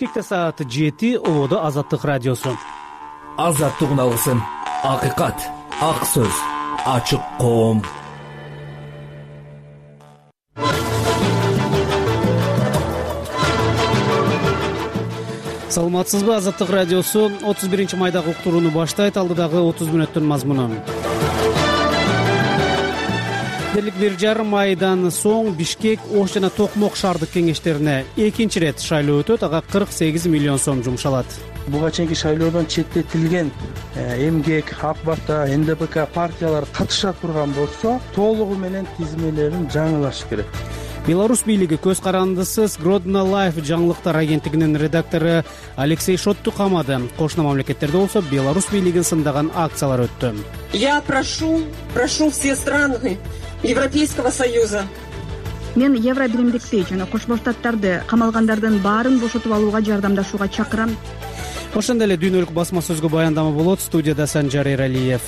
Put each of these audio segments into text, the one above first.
Бишкекте саат 7, Ободо Азаттык радиосу. Азаттык үналысын. Акыйкат, ак сөз, ачык коом. Саламатсызбы? Азаттык радиосу 31-майдагы уктурууну баштайт. Алдыдагы 30 мүнөттүн мазмуну. Дерлик 1,5 айдан соң Бишкек, Ош жана Токмок шаардык кеңештерине экинчи ирет шайлоо өтөт. Ага 48 миллион сом жумшалат. Буга чейинки шайлоодон четтетилген эмгек, ак бата, НДПК партиялар катыша турган болсо, толугу менен тизмелерин жаңылаш керек. Беларусь бийлиги көз карандысыз Гродно Life жаңылыктар агенттигинин редактору Алексей Шотту камады. Кошуна мамлекеттерде болсо Беларусь бийлигин сындаган акциялар өттү. Я прошу все страны Европейского Союза. Мен Евро биримдикти жана Кошмо Штаттарды камалгандардын баарын бошотуп алууга жардамдашууга чакырам. Ошондой эле дүйнөлүк басма сөзгө баяндама болот. Студияда Санжар Эралиев.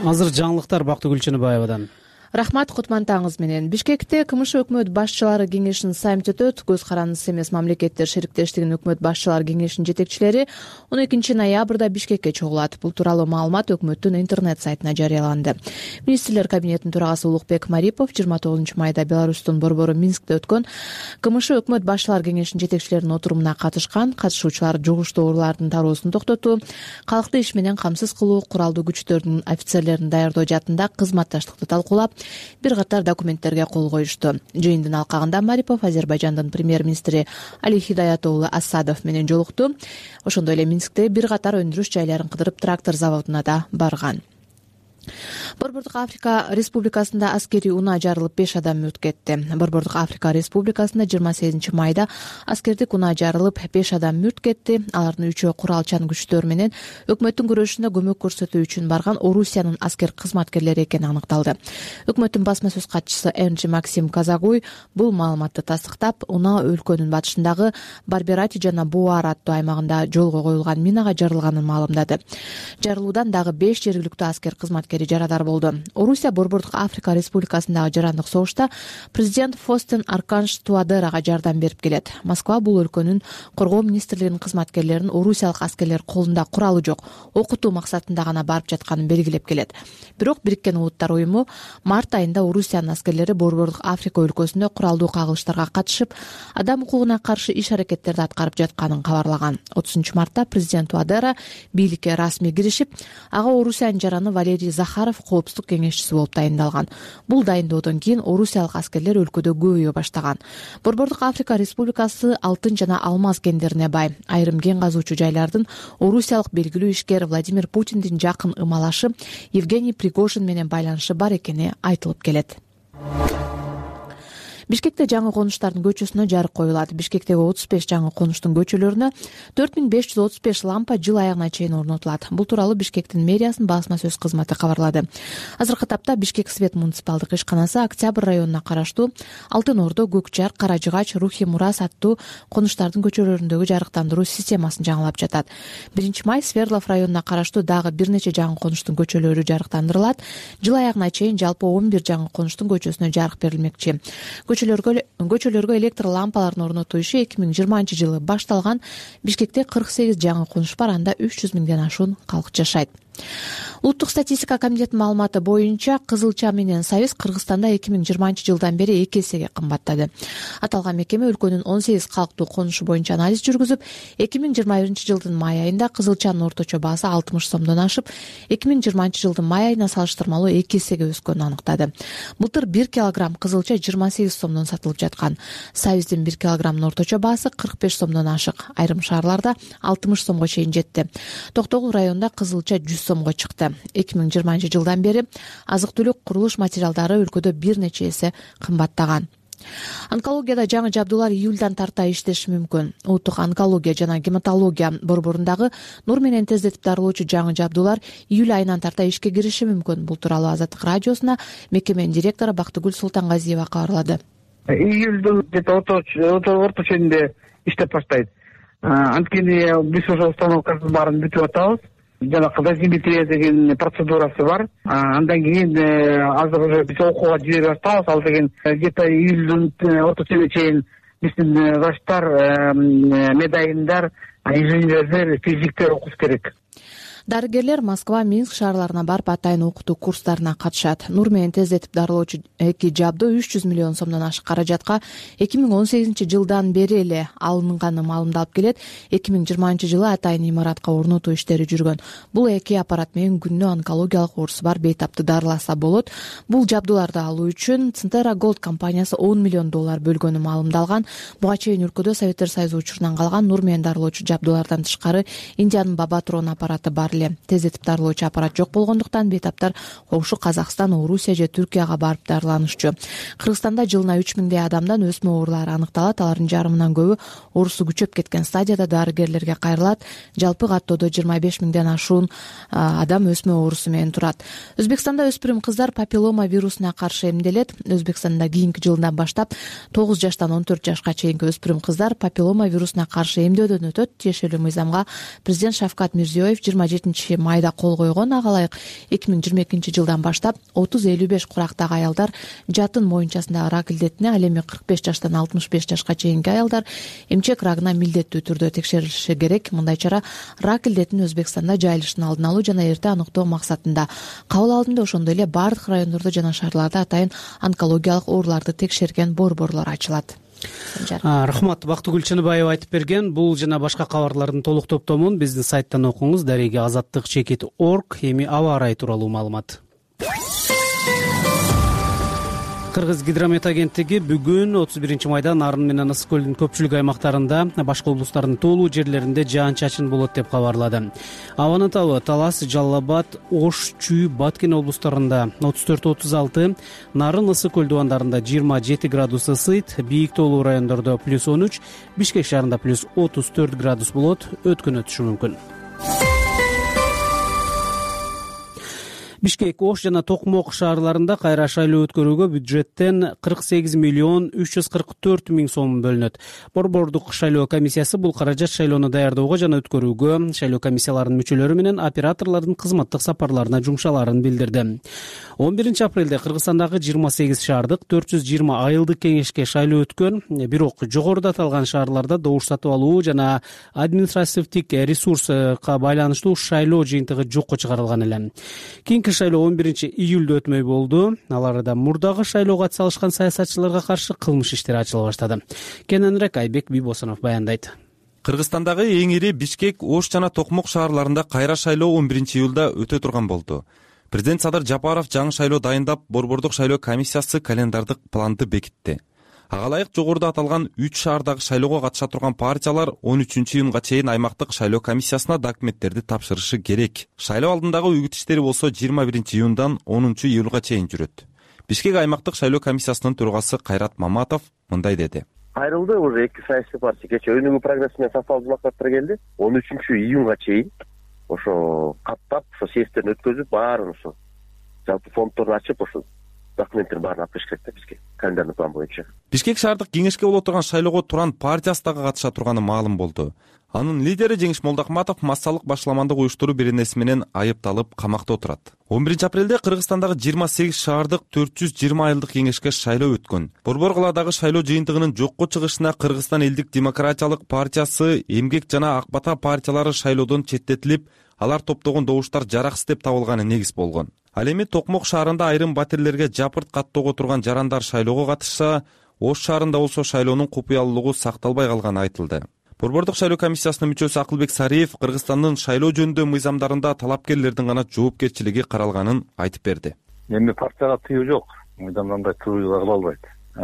Азыр жаңылыктар Бактыгүл Чыныбаевадан. Рахмат, кутмандыгыңыз менен. Бишкекте КМШ өкмөт башчылары кеңешинин саммити өтөт. Көз карандысыз эмес мамлекеттер шериктештигинин өкмөт башчылары кеңешинин жетекчилери 12 ноябрда Бишкекке чогулат. Бул тууралуу маалымат өкмөттүн интернет сайтына жарыяланды. Министрлер кабинетинин төрагасы Улукбек Марипов 29 майда Беларустун борбору Минскте өткөн КМШ өкмөт башчылары кеңешинин жетекчилеринин отурумуна катышкан. Катышуучулар жугуштуу оорулардын тароосун токтотуу, калкты иш менен камсыз кылуу, куралдуу күчтөрдүн офицерлерин даярдоо жаатында кызматташтыкты талкуулап, бир катар документтерге кол коюшту. Жыйындын алкагында Марипов Азербайжандын премьер-министри Али Хидаят уулу Асадов менен жолукту. Ошондой эле Минскте бир катар өндүрүш жайларын кыдырып, трактор заводуна да барган. Борбордук Африка Республикасында аскерий унаа жарылып 5 адам мүрт кетти. Борбордук Африка Республикасында 28 майда аскердик унаа жарылып 5 адам мүрт кетти. Алардын 3-өө куралчан күчтөр менен өкмөттүн күрөшүнө көмөк көрсөтүү үчүн барган Орусиянын аскер кызматкерлери экени аныкталды. Өкмөттүн басма сөз катчысы Энджи Максим Казагуй бул маалыматты тастыктап, унаа өлкөнүн батышындагы Барберати жана Буар аттуу аймагында жолго коюлган минага жарылганын маалымдады. Жарылуудан дагы 5 жергиликтүү аскер кызматкери жарадар болду. Орусия Борбордук Африка Республикасындагы жарандык согушта президент Фостен Арканш Туадерага жардам берип келет. Москва бул өлкөнүн коргоо министрлигинин кызматкерлерин орусиялык аскерлер колунда куралы жок, окутуу максатында гана барып жатканын белгилеп келет. Бирок Бириккен Улуттар уюму март айында Орусиянын аскерлери Борбордук Африка өлкөсүндө куралдуу кагылыштарга катышып, адам укугуна каршы иш-аракеттерди аткарып жатканын кабарлаган. 30 мартта президент Туадера бийликке расмий киришип, ага Орусиянын жараны Валерий Захаров коопсуздук кеңешчиси болуп дайындалган. Бул дайындоодон кийин орусиялык аскерлер өлкөдө көбөйө баштаган. Борбордук Африка Республикасы алтын жана алмаз кендерине бай. Айрым кен казуучу жайлардын орусиялык белгилүү ишкер Владимир Путиндин жакын ымалашы Евгений Пригожин менен байланышы бар экени айтылып келет. Бишкекте жаңы конуштардын көчөсүнө жарык коюлат. Бишкектеги 35 жаңы конуштун көчөлөрүнө 4535 лампа жыл аягына чейин орнотулат. Бул тууралуу Бишкектин мэриясынын басма сөз кызматы кабарлады. Азыркы тапта Бишкек Свет муниципалдык ишканасы Октябрь районуна караштуу Алтын Ордо, Көкжар, Каражыгач, Рухи Мурас аттуу конуштардын көчөлөрүндөгү жарыктандыруу системасын жаңылап жатат. 1 май Сверлов районуна караштуу дагы бир нече жаңы конуштун көчөлөрү жарыктандырылат. Жыл аягына чейин жалпы 11 жаңы конуштун көчөсүнө жарык берилмекчи. Көчөлөргө электр лампаларын орнотуу иши 2020 жылы башталган. Бишкекте 48 жаңы конуш бар, анда 300 миңден ашуун калк жашайт. Улуттук статистика комитетинин маалыматы боюнча кызылча менен сабиз Кыргызстанда 2020 жылдан бери 2 эсеге кымбаттады. Аталган мекеме өлкөнүн 18 калктуу конушу боюнча анализ жүргүзүп, 2021 жылдын май айында кызылчанын орточо баасы 60 сомдон ашып, 2020 жылдын май айына салыштырмалуу 2 эсеге өскөнүн аныктады. Былтыр 1 килограмм кызылча 28 сомдон сатылып жаткан. Сабиздин 1 килограммдын орточо баасы 45 сомдон ашык. Айрым шаарларда 60 сомго чейин жетти. Токтогул районунда кызылча 100 сомго чыкты. 2020 жылдан бери азык-түлүк, курулуш материалдары өлкөдө бир нече эсе кымбаттаган. Онкологияда жаңы жабдуулар июлдан тарта иштеши мүмкүн. Улуттук онкология жана гематология борборундагы нур менен тездетип дарылоочу жаңы жабдуулар июль айынан тарта ишке кириши мүмкүн. Бул тууралуу Азаттык радиосуна мекеменин директору Бактыгүл Султангазиева кабарлады. Июлдун орто ченинде иштеп баштайт. Анткени биз ошо установкасын баарын бүтүп атабыз. Жанагы дозиметрия деген процедурасы бар. Андан кийин азыр уже биз окууга жибере баштабыз. Ал деген где-то июлдун ортосуна чейин биздин врачтар, медайымдар, инженерлер, физиктер окуш керек. Дарыгерлер Москва, Минск шаарларына барып атайын окутуу курстарына катышат. Нур менен тездетип дарылоочу эки жабдуу 300 миллион сомдон ашык каражатка 2018 жылдан бери эле алынганы маалымдалып келет. 2020 жылы атайын имаратка орнотуу иштери жүргөн. Бул эки аппарат менен күнүнө онкологиялык оорусу бар бейтапты дарыласа болот. Бул жабдууларды алуу үчүн Центера Голд компаниясы $10 миллион бөлгөнү маалымдалган. Буга чейин өлкөдө Советтер Союзу учурунан калган Нур менен дарылоочу жабдуулардан тышкары Индиянын Бабатрон аппараты бар. Тездетип дарылоочу аппарат жок болгондуктан бейтаптар коңшу Казакстан, Орусия же Түркияга барып дарыланышчу. Кыргызстанда жылына 3000 адамдан өсмө оорулары аныкталат. Алардын жарымынан көбү оорусу күчөп кеткен стадияда дарыгерлерге кайрылат. Жалпы каттоодо 25 000 ашуун адам өсмө оорусу менен турат. Өзбекстанда өспүрүм кыздар папиллома вирусуна каршы эмделет. Өзбекстанда кийинки жылдан баштап 9 жаштан 14 жашка чейинки өспүрүм кыздар папиллома вирусуна каршы эмдөөдөн өтөт. Тиешелүү мыйзамга президент Шавкат Мирзиёев 27 майда кол койгон. Ага ылайык 2022 жылдан баштап 30-55 курактагы аялдар жатын моюнчасындагы рак илдетине, ал эми 45 жаштан 65 жашка чейинки аялдар эмчек рагына милдеттүү түрдө текшерилиши керек. Мындай чара рак илдетинин Өзбекстанда жайылышын алдын алуу жана эрте аныктоо максатында кабыл алынды. Ошондой эле бардык райондордо жана шаарларда атайын онкологиялык ооруларды текшерген борборлор ачылат. Рахмат, Бактыгүл Чыныбаева айтып берген. Бул жана башка кабарлардын толук топтомун биздин сайттан окуңуз. Дареги azаттык.org. Эми аба ырайы тууралуу маалымат. Кыргыз гидромет агенттиги бүгүн 31 майда Нарын менен Ысык көлдүн көпчүлүк аймактарында, башка облустардын тоолуу жерлеринде жаан-чачын болот деп кабарлады. Абанын табы Талас, Жалал-Абад, Ош, Чүй, Баткен облустарында 34-36, Нарын, Ысык көл дубандарында 27 градус ысыйт, бийик тоолуу райондордо +13, Бишкек шаарында +34 градус болот, өткөн өтүшү мүмкүн. Бишкек, Ош жана Токмок шаарларында кайра шайлоо өткөрүүгө бюджеттен 48 миллион 344 миң сом бөлүнөт. Борбордук шайлоо комиссиясы бул каражат шайлоону даярдоого жана өткөрүүгө шайлоо комиссияларынын мүчөлөрү менен операторлордун кызматтык сапарларына жумшаларын билдирди. 11 апрелде Кыргызстандагы 28 шаардык 420 айылдык кеңешке шайлоо өткөн, бирок жогоруда аталган шаарларда добуш сатып алуу жана административдик ресурска байланыштуу шайлоо жыйынтыгы жокко чыгарылган эле. Шайлоо 11 июлда өтмөй болду. Аларда мурдагы шайлоого катыша алышкан саясатчыларга каршы кылмыш иштери ачыла баштады. Кененирээк Айбек Бибосонов баяндайт. Кыргызстандагы эң ири Бишкек, Ош жана Токмок шаарларында кайра шайлоо 11 июлда өтө турган болду. Президент Садыр Жапаров жаңы шайлоо дайындап, борбордук шайлоо комиссиясы календардык планды бекитти. Ага ылайык жогоруда аталган 3 шаардагы шайлоого катыша турган партиялар 13 июнга чейин аймактык шайлоо комиссиясына документтерди тапшырышы керек. Шайлоо алдындагы үгүт иштери болсо 21 июндан 10 июлга чейин жүрөт. Бишкек аймактык шайлоо комиссиясынын төрагасы Кайрат Маматов мындай деди. Кайрылды уже эки саясий партия кечээ өнүгүү прогресси менен сапал булактар келди. 13 июнга чейин ошо каттап, ошо съезддерин өткөзүп, баарын ошо жалпы фонддорду ачып, ошо документтерин баарын алып келиш керек да бизге календарный план боюнча. Бишкек шаардык кеңешке боло турган шайлоого Туран партиясы дагы катыша турганы маалым болду. Анын лидери Жеңиш Молдохматов массалык башаламандык уюштуруу беренеси менен айыпталып камакта отурат. 11 апрелде Кыргызстандагы 28 шаардык 420 айылдык кеңешке шайлоо өткөн. Борбор каладагы шайлоо жыйынтыгынын жокко чыгышына Кыргызстан элдик демократиялык партиясы, Эмгек жана Ак Бата партиялары шайлоодон четтетилип, алар топтогон добуштар жараксыз деп табылганы негиз болгон. Ал эми Токмок шаарында айрым батирлерге жапырт каттоого турган жарандар шайлоого катышса, Ош шаарында болсо шайлоонун купуялуулугу сакталбай калганы айтылды. Борбордук шайлоо комиссиясынын мүчөсү Акылбек Сариев Кыргызстандын шайлоо жөнүндө мыйзамдарында талапкерлердин гана жоопкерчилиги каралганын айтып берди. Эми партияга тыюу жок, мыйзамда тыюу кыла албайт.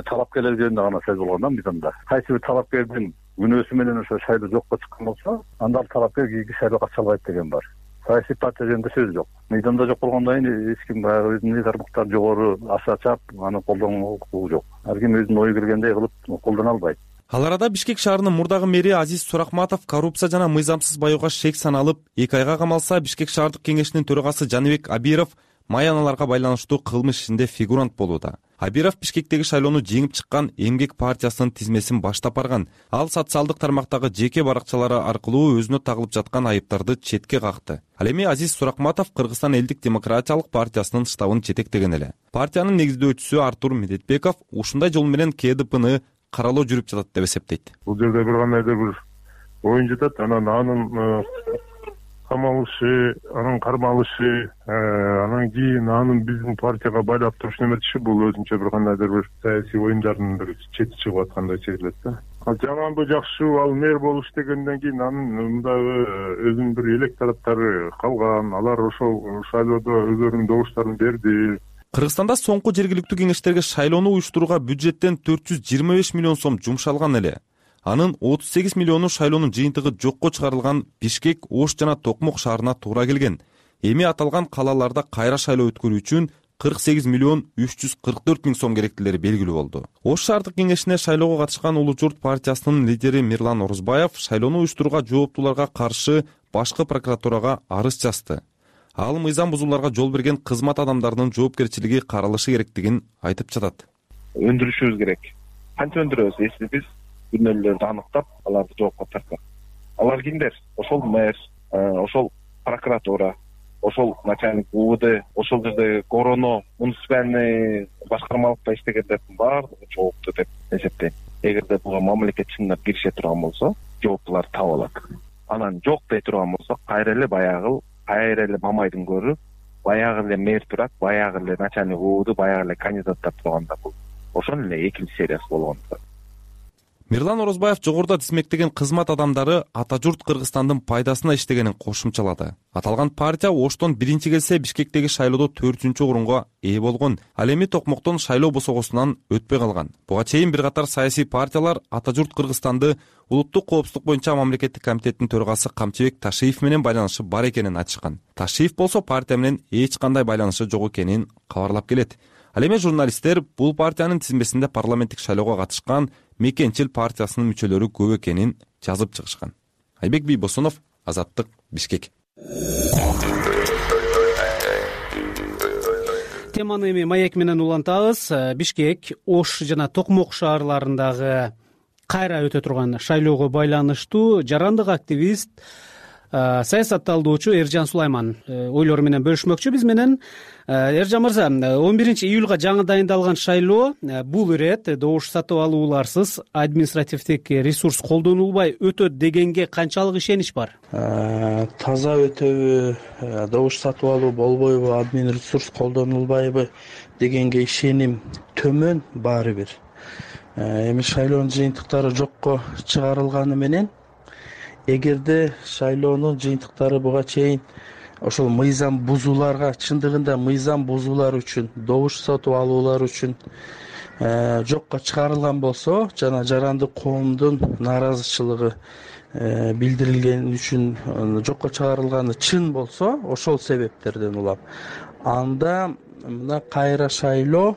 Талапкерлер жөнүндө гана сөз болгон да мыйзамда. Кайсы бир талапкердин күнөөсү менен ошо шайлоо жокко чыккан болсо, анда ал талапкер кийинки шайлоого катыша албайт деген бар. Саясий партия жөнүндө сөз жок. Мыйзамда жок болгондон кийин эч ким баягы өзүнүн тармактар жогору аша чап аны колдонуу укугу жок. Ар ким өзүнүн ою келгендей кылып колдоно албайт. Ал арада Бишкек шаарынын мурдагы мэри Азиз Суракматов коррупция жана мыйзамсыз баюуга шек саналып, 2 айга камалса, Бишкек шаардык кеңешинин төрагасы Жаныбек Абиров май аналарга байланыштуу кылмыш ишинде фигурант болууда. Абиров Бишкектеги шайлоону жеңип чыккан Эмгек партиясынын тизмесин баштап барган. Ал социалдык тармактагы жеке баракчалары аркылуу өзүнө тагылып жаткан айыптарды четке какты. Ал эми Азиз Суракматов Кыргызстан элдик демократиялык партиясынын штабын жетектеген эле. Партиянын негиздөөчүсү Артур Медетбеков ушундай жол менен КДПны каралоо жүрүп жатат деп эсептейт. Бул жерде бир кандайдыр бир оюн жатат. Анын камалышы, анын кармалышы, анан кийин анын биздин партияга байлап туруш неметиши бул өзүнчө бир кандайдыр бир саясий оюндардын бир чети чыгып аткандай сезилет да. Жаманбы жакшыбы ал мэр болуш дегенден кийин анын мындагы өзүнүн бир электораттары калган, алар ошол шайлоодо өздөрүнүн добуштарын берди. Кыргызстанда соңку жергиликтүү кеңештерге шайлоону уюштурууга бюджеттен 425 миллион сом жумшалган эле. Анын 38 миллиону шайлоонун жыйынтыгы жокко чыгарылган Бишкек, Ош жана Токмок шаарына туура келген. Эми аталган калаларда кайра шайлоо өткөрүү үчүн 48 миллион 344 миң сом керектилери белгилүү болду. Ош шаардык кеңешине шайлоого катышкан Улуу Журт партиясынын лидери Мирлан Орузбаев шайлоону уюштурууга жооптууларга каршы башкы прокуратурага арыз жазды. Ал мыйзам бузууларга жол берген кызмат адамдарынын жоопкерчилиги каралышы керектигин айтып жатат. Өндүрүшүбүз керек. Канча өндүрөбүз, если биз күнөөлөрдү аныктап, аларды жоопко тартсак. Алар кимдер? Ошол мэр, ошол прокуратура, ошол начальник УВД, ошол жерде короно, муниципальный башкармалыкта иштегендердин баардыгы жоопту деп эсептейм. Эгерде буга мамлекет чындап киреше турган болсо, жооптуулар таап алат. Анан жок дей турган болсо, кайра эле Мамайдын көрү, баягы эле мэр турат, баягы эле начальник УВД, баягы эле кандидаттар турганда бул ошол эле экинчи сериясы болгон. Мирлан Орозбаев жогоруда тизмектеген кызмат адамдары ата журт Кыргызстандын пайдасына иштегенин кошумчалады. Аталган партия Оштон биринчи келсе Бишкектеги шайлоодо 4-чү орунга ээ болгон. Ал эми Токмоктон шайлоо босогосунан өтпөй калган. Буга чейин бир катар саясий партиялар ата журт Кыргызстанды улуттук коопсуздук боюнча мамлекеттик комитеттин төрагасы Камчыбек Ташиев менен байланышы бар экенин айтышкан. Ташиев болсо партия менен эч кандай байланышы жок экенин кабарлап келет. Ал эми журналисттер бул партиянын тизмесинде парламенттик шайлоого катышкан Мекенчил партиясынын мүчөлөрү көп экенин жазып чыгышкан. Айбек Бийбосунов, Азаттык, Бишкек. Теманы эми маек менен улантабыз. Бишкек, Ош жана Токмок шаарларындагы кайра өтө турган шайлоого байланыштуу жарандык активист, саясат талдоочу Эржан Сулайман ойлору менен бөлүшмөкчү биз менен. Эржан мырза, 11-июлга жаңы дайындалган шайлоо бул ирет добуш сатып алууларсыз административдик ресурс колдонулбай өтөт дегенге канчалык ишенич бар? Таза өтөбү, добуш сатып алуу болбойбу, админ ресурс колдонулбайбы дегенге ишеним төмөн баары бир. Эми шайлоонун жыйынтыктары жокко чыгарылганы менен эгерде шайлоонун жыйынтыктары буга чейин ошол мыйзам бузууларга, чындыгында мыйзам бузуулар үчүн, добуш сатып алуулар үчүн жокко чыгарылган болсо жана жарандык коомдун нааразычылыгы билдирилген үчүн жокко чыгарылганы чын болсо, ошол себептерден улам, анда мына кайра шайлоо,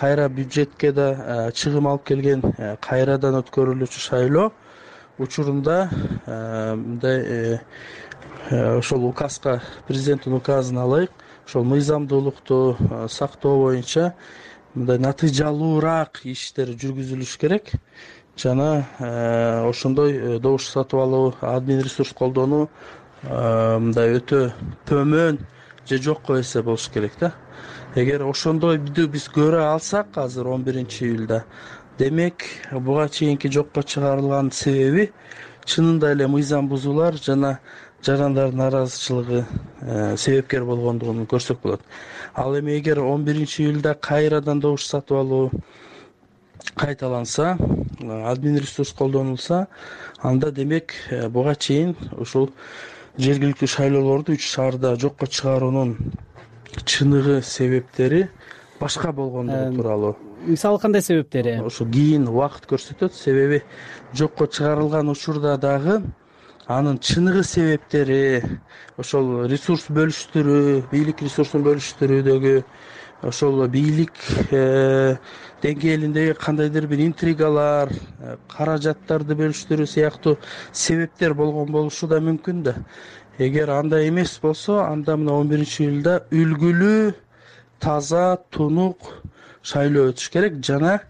кайра бюджетке да чыгым алып келген кайрадан өткөрүлүүчү шайлоо учурунда мындай ошол указга, президенттин указына ылайык ошол мыйзамдуулукту сактоо боюнча мындай натыйжалуураак иштер жүргүзүлүш керек жана ошондой добуш сатып алуу, админ ресурс колдонуу мындай өтө төмөн же жокко эсе болуш керек да. Эгер ошондойду биз көрө алсак азыр 11-июлда, демек буга чейинки жокко чыгарылган себеби чынында эле мыйзам бузуулар жана жарандардын нааразычылыгы себепкер болгондугун көрсөк болот. Ал эми эгер 11-июлда кайрадан добуш сатып алуу кайталанса, админ ресурс колдонулса, анда демек буга чейин ушул жергиликтүү шайлоолорду 3 шаарда жокко чыгаруунун чыныгы себептери башка болгондугу тууралуу. Мисалы кандай себептери? Ошо кийин убакыт көрсөтөт. Себеби жокко чыгарылган учурда дагы анын чыныгы себептери ошол ресурс бөлүштүрүү, бийлик ресурсун бөлүштүрүүдөгү, ошол бийлик деңгээлиндеги кандайдыр бир интригалар, каражаттарды бөлүштүрүү сыяктуу себептер болгон болушу да мүмкүн да. Эгер андай эмес болсо, анда мына 11-июлда үлгүлүү, таза, тунук шайлоо өтүш керек жана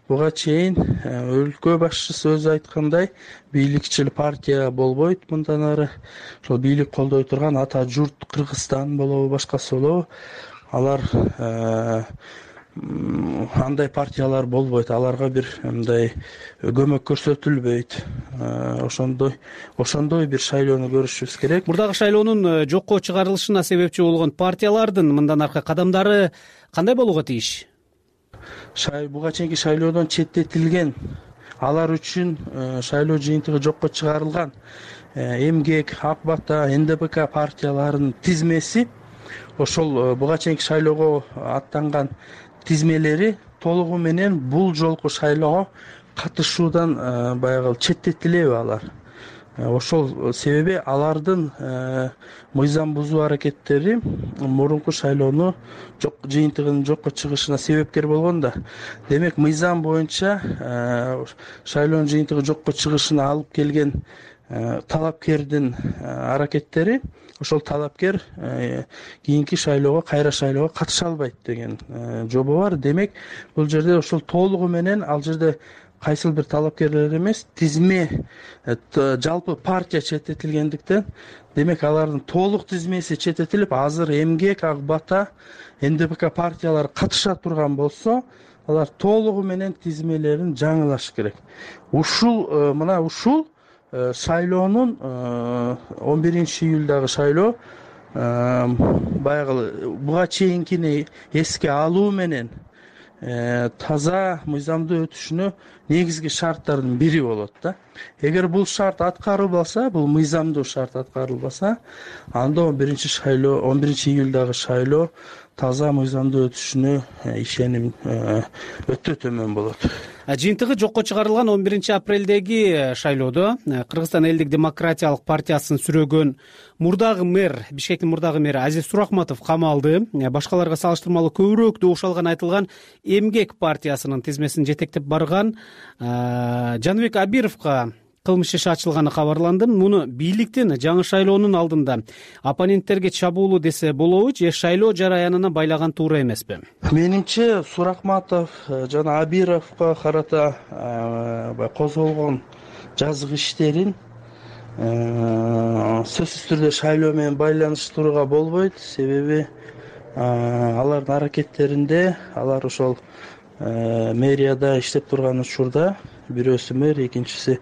буга чейин өлкө башчысы өзү айткандай, бийликчил партия болбойт мындан ары. Ошол бийлик колдой турган ата журт Кыргызстан болобу, башкасы болобу, алар андай партиялар болбойт, аларга бир мындай көмөк көрсөтүлбөйт. Ошондой бир шайлоону көрүшүбүз керек. Мурдагы шайлоонун жокко чыгарылышына себепчи болгон партиялардын мындан аркы кадамдары кандай болууга тийиш? Буга чейинки шайлоодон четтетилген, алар үчүн шайлоо жыйынтыгы жокко чыгарылган Эмгек, Ак Бата, НДПК партияларынын тизмеси ошол буга чейинки шайлоого аттанган тизмелери толугу менен бул жолку шайлоого катышуудан баягы четтетилеби алар. Ошол себеби алардын мыйзам бузуу аракеттери мурунку шайлоону жыйынтыгынын жокко чыгышына себепкер болгон да. Демек мыйзам боюнча шайлоонун жыйынтыгы жокко чыгышына алып келген талапкердин аракеттери, ошол талапкер кийинки шайлоого, кайра шайлоого катыша албайт деген жобо бар. Демек бул жерде ошол толугу менен ал жерде кайсыл бир талапкерлер эмес, тизме жалпы партия четтетилгендиктен, демек алардын толук тизмеси четтетилип, азыр Эмгек, Ак Бата, НДПК партиялары катыша турган болсо, алар толугу менен тизмелерин жаңылаш керек. Ушул шайлоонун 11-июлдагы шайлоо баягы буга чейинкини эске алуу менен таза мыйзамдуу өтүшүнө негизги шарттардын бири болот да. Эгер бул шарт аткарылбаса, бул мыйзамдуу шарт аткарылбаса, анда 11-июлдагы шайлоо таза мыйзамдуу өтүшүнө ишеним өтө төмөн болот. Жыйынтыгы жокко чыгарылган 11-апрелдеги шайлоодо Кыргызстан элдик демократиялык партиясын сүрөгөн Бишкектин мурдагы мэри Азиз Сурахматов камалды. Башкаларга салыштырмалуу көбүрөөк добуш алган айтылган Эмгек партиясынын тизмесин жетектеп барган Жаныбек Абировго кылмыш иши ачылганы кабарланды. Муну бийликтин жаңы шайлоонун алдында оппоненттерге чабуулу десе болобу же шайлоо жараянына байлаган туура эмеспи? Менимче Сурахматов жана Абировго карата козголгон жазык иштерин сөзсүз түрдө шайлоо менен байланыштырууга болбойт. Себеби алардын аракеттеринде, алар ошол мэрияда иштеп турган учурда бирөөсү мэр, экинчиси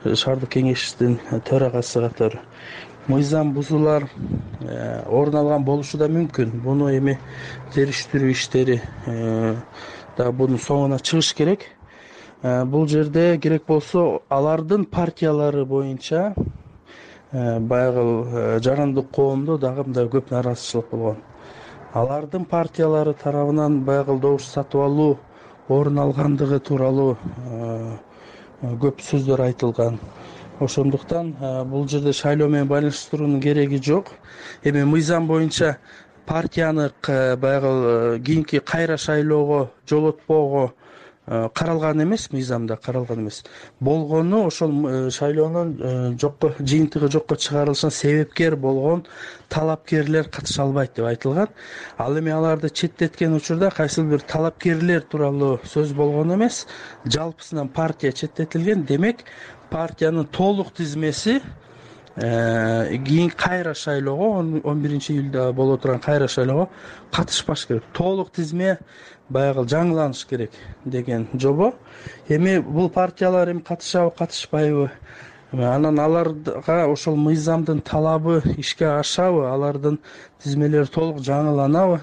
шаардык кеңештин төрагасы катары мыйзам бузуулар орун алган болушу да мүмкүн. Буну эми териштирүү иштери да бунун соңуна чыгыш керек. Бул жерде керек болсо алардын партиялары боюнча баягы жарандык коомдо дагы мындай көп нааразычылык болгон. Алардын партиялары тарабынан баягы добуш сатып алуу орун алгандыгы тууралуу көп сөздөр айтылган. Ошондуктан бул жерде шайлоо менен байланыштыруунун кереги жок. Эми мыйзам боюнча партияны баягы кийинки кайра шайлоого жолотпоого каралган эмес, мыйзамда каралган эмес. Болгону ошол шайлоонун жыйынтыгы жокко чыгарылышына себепкер болгон талапкерлер катыша албайт деп айтылган. Ал эми аларды четтеткен учурда кайсыл бир талапкерлер тууралуу сөз болгон эмес, жалпысынан партия четтетилген. Демек партиянын толук тизмеси кийин кайра шайлоого, 11-июлда боло турган кайра шайлоого катышпаш керек. Толук тизме баягы жаңыланыш керек деген жобо. Эми бул партиялар эми катышабы, катышпайбы? Анан аларга ошол мыйзамдын талабы ишке ашабы, алардын тизмелери толук жаңыланабы?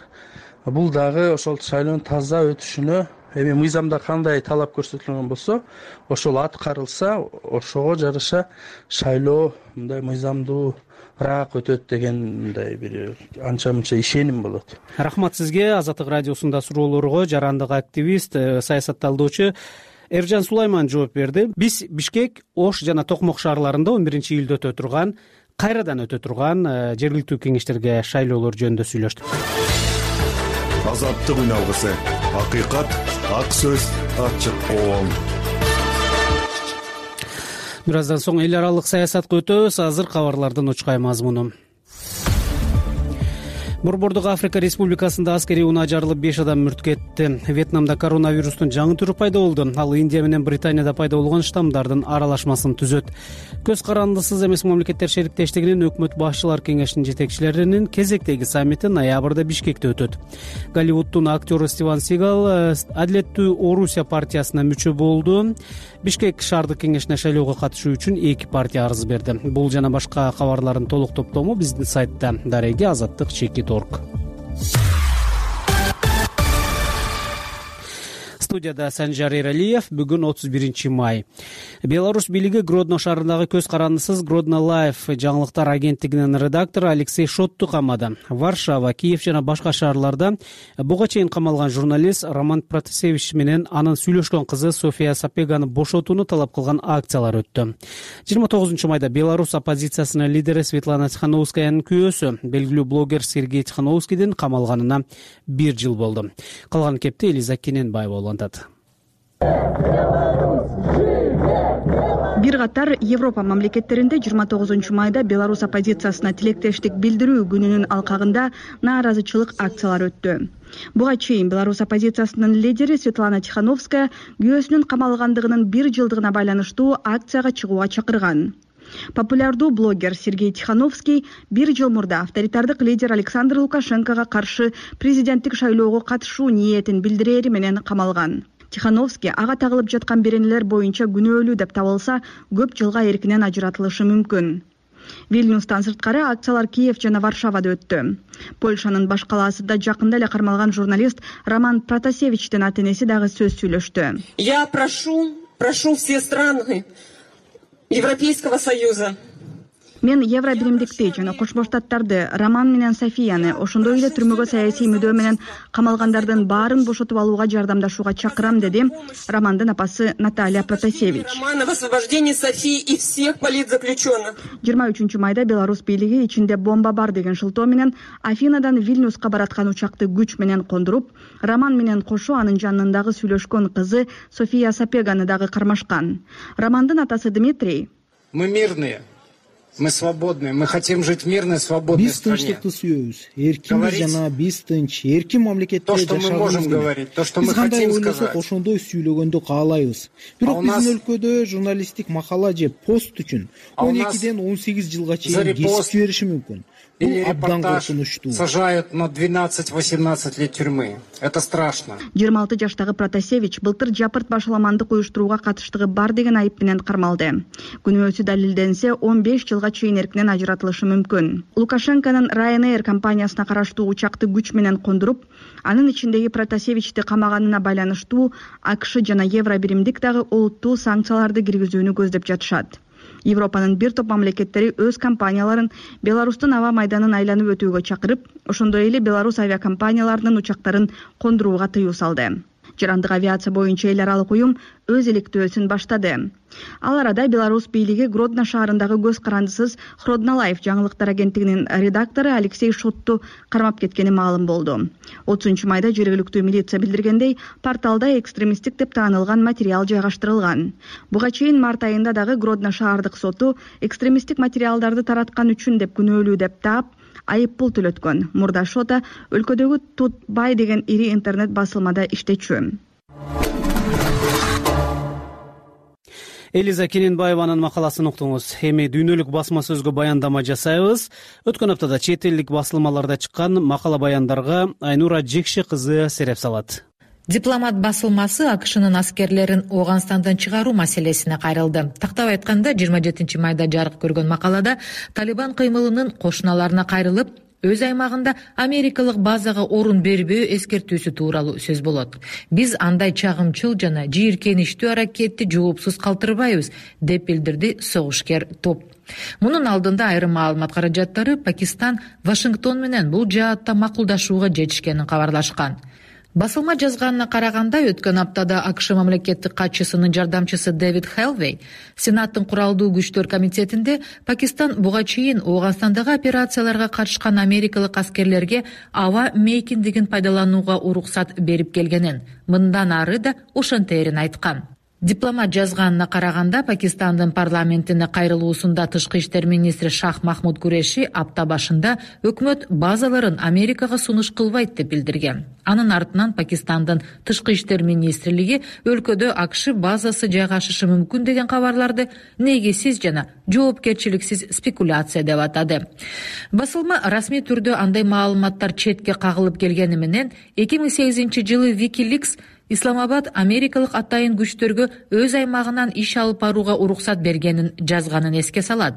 Бул дагы ошол шайлоонун таза өтүшүнө эми мыйзамда кандай талап көрсөтүлгөн болсо, ошол аткарылса, ошого жараша шайлоо мындай мыйзамдуураак өтөт деген мындай бир анча-мынча ишеним болот. Рахмат сизге. Азаттык радиосунда суроолорго жарандык активист, саясатталдоочу Эржан Сулайман жооп берди. Биз Бишкек, Ош жана Токмок шаарларында 11-июлда өтө турган, кайрадан өтө турган жергиликтүү кеңештерге шайлоолор жөнүндө сүйлөштүк. Азаттык үналгысы, акыйкат, ак сөз, ачык коом. Бир аздан соң эл аралык саясатка өтөбүз. Азыр кабарлардын учкай мазмуну. Борбордук Африка Республикасында аскерий унаа жарылып 5 адам мүрт кетти. Вьетнамда коронавирустун жаңы түрү пайда болду. Ал Индия менен Британияда пайда болгон штаммдардын аралашмасын түзөт. Көз карандысыз эмес мамлекеттер шериктештигинин өкмөт башчылар кеңешинин жетекчилеринин кезектеги саммити ноябрда Бишкекте өтөт. Голливуддун актеру Стивен Сигал Адилеттүү Орусия партиясына мүчө болду. Бишкек шаардык кеңешине шайлоого катышуу үчүн 2 партия арыз берди. Бул жана башка кабарлардын толук топтому биздин сайтта дареги azatlyk.org. Студияда Санжар Эралиев. Бүгүн 31 май. Беларусь бийлиги Гродно шаарындагы көз карандысыз Гродно Лайф жаңылыктар агенттигинин редактору Алексей Шотту камады. Варшава, Киев жана башка шаарларда буга чейин камалган журналист Роман Протасевич менен анын сүйлөшкөн кызы София Сапеганы бошотууну талап кылган акциялар өттү. 29 майда Беларусь оппозициясынын лидери Светлана Тихановскаянын күйөөсү, белгилүү блогер Сергей Тихановскийдин камалганына 1 жыл болду. Калган кепти Элиза Кененбаева улантат. Бир катар Европа мамлекеттеринде 29 майда Беларусь оппозициясына тилектештик билдирүү күнүнүн алкагында нааразычылык акциялар өттү. Буга чейин Беларусь оппозициясынын лидери Светлана Тихановская күйөөсүнүн камалгандыгынын 1 жылдыгына байланыштуу акцияга чыгууга чакырган. Популярдуу блогер Сергей Тихановский 1 жыл мурда авторитардык лидер Александр Лукашенкого каршы президенттик шайлоого катышуу ниетин билдирери менен камалган. Тихановский ага тагылып жаткан беренелер боюнча күнөөлүү деп табылса, көп жылга эркинен ажыратылышы мүмкүн. Вильнюстан сырткары акциялар Киев жана Варшавада өттү. Польшанын баш калаасында жакында эле кармалган журналист Роман Протасевичтин ата-энеси дагы сөз сүйлөштү. Я прошу все страны Европейского Союза. Мен Евробиримдикти жана Кошмо Штаттарды, Роман менен Софияны, ошондой эле түрмөгө саясий мүдөө менен камалгандардын баарын бошотуп алууга жардамдашууга чакырам, деди Романдын апасы Наталья Протасевич. Роман об освобождении Софии и всех политзаключенных. 23 майда Беларусь бийлиги ичинде бомба бар деген шылтоо менен Афинадан Вильнюска бараткан учакты күч менен кондуруп, Роман менен кошо анын жанындагы сүйлөшкөн кызы София Сапеганы дагы кармашкан. Романдын атасы Дмитрий: Мы мирные. Мы свободные, мы хотим жить в мирной, свободной стране. Биз тынчтыкты сүйөбүз. Эркинбиз жана биз тынч, эркин мамлекетте жашагыбыз. То, что мы можем говорить, то, что мы хотим сказать. Ошондой сүйлөгөндү каалайбыз. Бирок биздин өлкөдө журналисттик макала же пост үчүн 12-ден 18 жылга чейин кесип жибериши мүмкүн. Или репортаж сажают на 12-18 лет тюрьмы. Это страшно. 26 жаштагы Протасевич былтыр жапырт башаламандык уюштурууга катыштыгы бар деген айып менен кармалды. Күнөөсү далилденсе, 15 жылга чейин эркинен ажыратылышы мүмкүн. Лукашенконун Ryanair компаниясына караштуу учакты күч менен кондуруп, анын ичиндеги Протасевичти камаганына байланыштуу АКШ жана Евробиримдик дагы олуттуу санкцияларды киргизүүнү көздөп жатышат. Европанын бир топ мамлекеттери өз компанияларын Беларустун аба майданын айланып өтүүгө чакырып, ошондой эле Беларусь авиакомпанияларынын учактарын кондурууга тыюу салды. Жарандык авиация боюнча эл аралык уюм өз иликтөөсүн баштады. Ал арада Беларусь бийлиги Гродно шаарындагы көз карандысыз Гродно Лайф жаңылыктар агенттигинин редактору Алексей Шотту кармап кеткени маалым болду. 30 майда жергиликтүү милиция билдиргендей, порталда экстремисттик деп таанылган материал жайгаштырылган. Буга чейин март айында дагы Гродно шаардык соту экстремисттик материалдарды тараткан үчүн деп күнөөлүү деп таап, айып пул төлөткөн. Мурда Шота өлкөдөгү Тутбай деген ири интернет басылмада иштечү. Элиза Кененбаеванын макаласын уктуңуз. Эми дүйнөлүк басма сөзгө баяндама жасайбыз. Өткөн аптада чет элдик басылмаларда чыккан макала баяндарга Айнура Жекше кызы сереп салат. Дипломат басылмасы АКШнын аскерлерин Ооганстандан чыгаруу маселесине кайрылды. Тактап айтканда 27 майда жарык көргөн макалада Талибан кыймылынын кошуналарына кайрылып, өз аймагында америкалык базага орун бербөө эскертүүсү тууралуу сөз болот. Биз андай чагымчыл жана жийиркеничтүү аракетти жоопсуз калтырбайбыз, деп билдирди согушкер топ. Мунун алдында айрым маалымат каражаттары Пакистан Вашингтон менен бул жаатта макулдашууга жетишкенин кабарлашкан. Басылма жазганына караганда, өткөн аптада АКШ мамлекеттик катчысынын жардамчысы Дэвид Хелвей Сенаттын куралдуу күчтөр комитетинде Пакистан буга чейин Ооганстандагы операцияларга катышкан америкалык аскерлерге аба мейкиндигин пайдаланууга уруксат берип келгенин, мындан ары да ошонтерин айткан. Дипломат жазганына караганда, Пакистандын парламентине кайрылуусунда тышкы иштер министри Шах Махмуд Куреши апта башында өкмөт базаларын Америкага сунуш кылбайт деп билдирген. Анын артынан Пакистандын тышкы иштер министрлиги өлкөдө АКШ базасы жайгашышы мүмкүн деген кабарларды негизсиз жана жоопкерчиликсиз спекуляция деп атады. Басылма расмий түрдө андай маалыматтар четке кагылып келгени менен 2008-жылы WikiLeaks Исламабад америкалык атайын күчтөргө өз аймагынан иш алып барууга уруксат бергенин жазганын эске салат.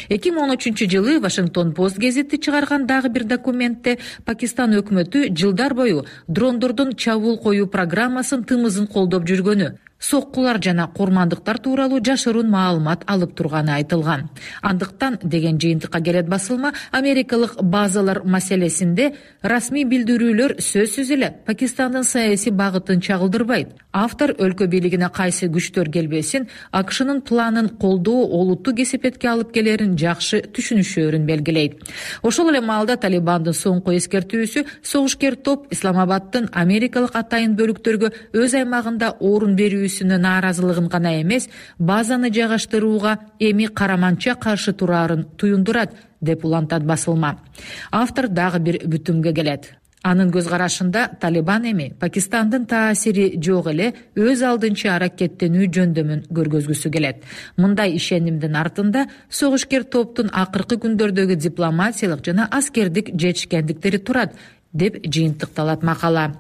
2013-жылы Вашингтон Пост гезити чыгарган дагы бир документте Пакистан өкмөтү жылдар бою дрондордун чабуул коюу программасын тымызын колдоп жүргөнү, соккулар жана курмандыктар тууралуу жашыруун маалымат алып турганы айтылган. Андыктан деген жыйынтыкка келет басылма, америкалык базалар маселесинде расмий билдирүүлөр сөзсүз эле Пакистандын саясий багытын чагылдырбайт. Автор өлкө бийлигине кайсы күчтөр келбесин, АКШнын планын колдоо олуттуу кесепетке алып келерин жакшы түшүнүшөөрүн белгилейт. Ошол эле маалда Талибандын соңку эскертүүсү согушкер топ Исламабадтын америкалык атайын бөлүктөргө өз аймагында орун берүүсүнө нааразылыгын гана эмес, базаны жайгаштырууга эми караманча каршы турарын туюндурат деп улантат басылма. Автор дагы бир бүтүмгө келет. Анын көз карашында Талибан эми Пакистандын таасири жок эле өз алдынча аракеттенүү жөндөмүн көргөзгүсү келет. Мындай ишенимдин артында согушкер топтун акыркы күндөрдөгү дипломатиялык жана аскердик жетишкендиктери турат деп жыйынтыкталат макала.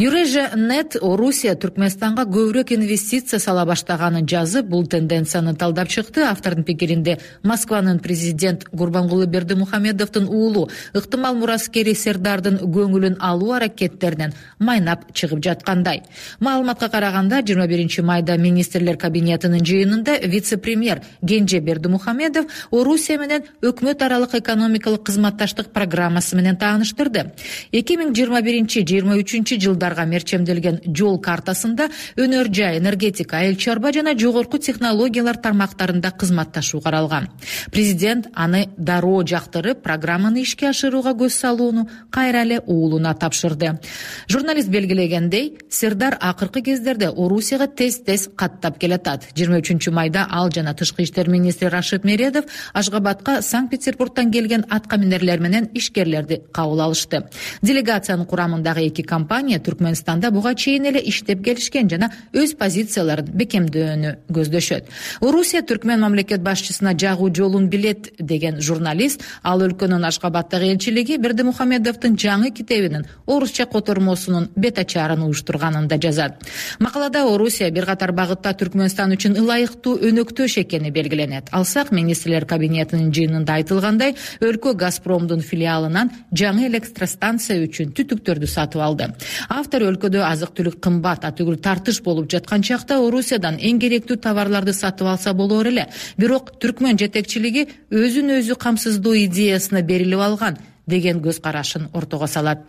Eurasianet Орусия Түркмөнстанга көбүрөөк инвестиция сала баштаганын жазып, бул тенденцияны талдап чыкты. Автордун пикиринде Москванын президент Гурбангулы Бердимухамедовдун уулу ыктымал мураскери Сердардын көңүлүн алуу аракеттеринен майнап чыгып жаткандай. Маалыматка караганда 21 майда министрлер кабинетинин жыйынында вице-премьер Генже Бердимухамедов Орусия менен өкмөт аралык экономикалык кызматташтык программасы менен тааныштырды. 2021-23 жылдарга мерчемделген жол картасында өнөр жай, энергетика, айыл чарба жана жогорку технологиялар тармактарында кызматташуу каралган. Президент аны дароо жактырып, программаны ишке ашырууга көз салууну кайра эле уулуна тапшырды. Журналист белгилегендей, Сердар акыркы кездерде Орусияга тез-тез каттап келатат. 23-майда ал жана тышкы иштер министри Рашид Мередов Ашгабадка Санкт-Петербургдан келген аткаминерлер менен ишкерлерди кабыл алышты. Делегациянын курамындагы эки компания Түркмөнстанда буга чейин эле иштеп келишкен жана өз позицияларын бекемдөөнү көздөшөт. Орусия Түркмөн мамлекет башчысына жагуу жолун билет деген журналист ал өлкөнүн Ашгабадтагы элчилиги Бердимухамедовдун жаңы китебинин орусча котормосунун бет ачаарын уюштурганын да жазат. Макалада Орусия бир катар багытта Түркмөнстан үчүн ылайыктуу өнөктөш экени белгиленет. Алсак, министрлер кабинетинин жыйынында айтылгандай, өлкө Газпромдун филиалынан жаңы электростанция үчүн түтүктөрдү сатып алды. Автор өлкөдө азык-түлүк кымбат, атүгүл тартыш болуп жаткан чакта Орусиядан эң керектүү товарларды сатып алса болор эле. Бирок Түркмөн жетекчилиги өзүн өзү камсыздоо идеясына берилип алган деген көз карашын ортого салат.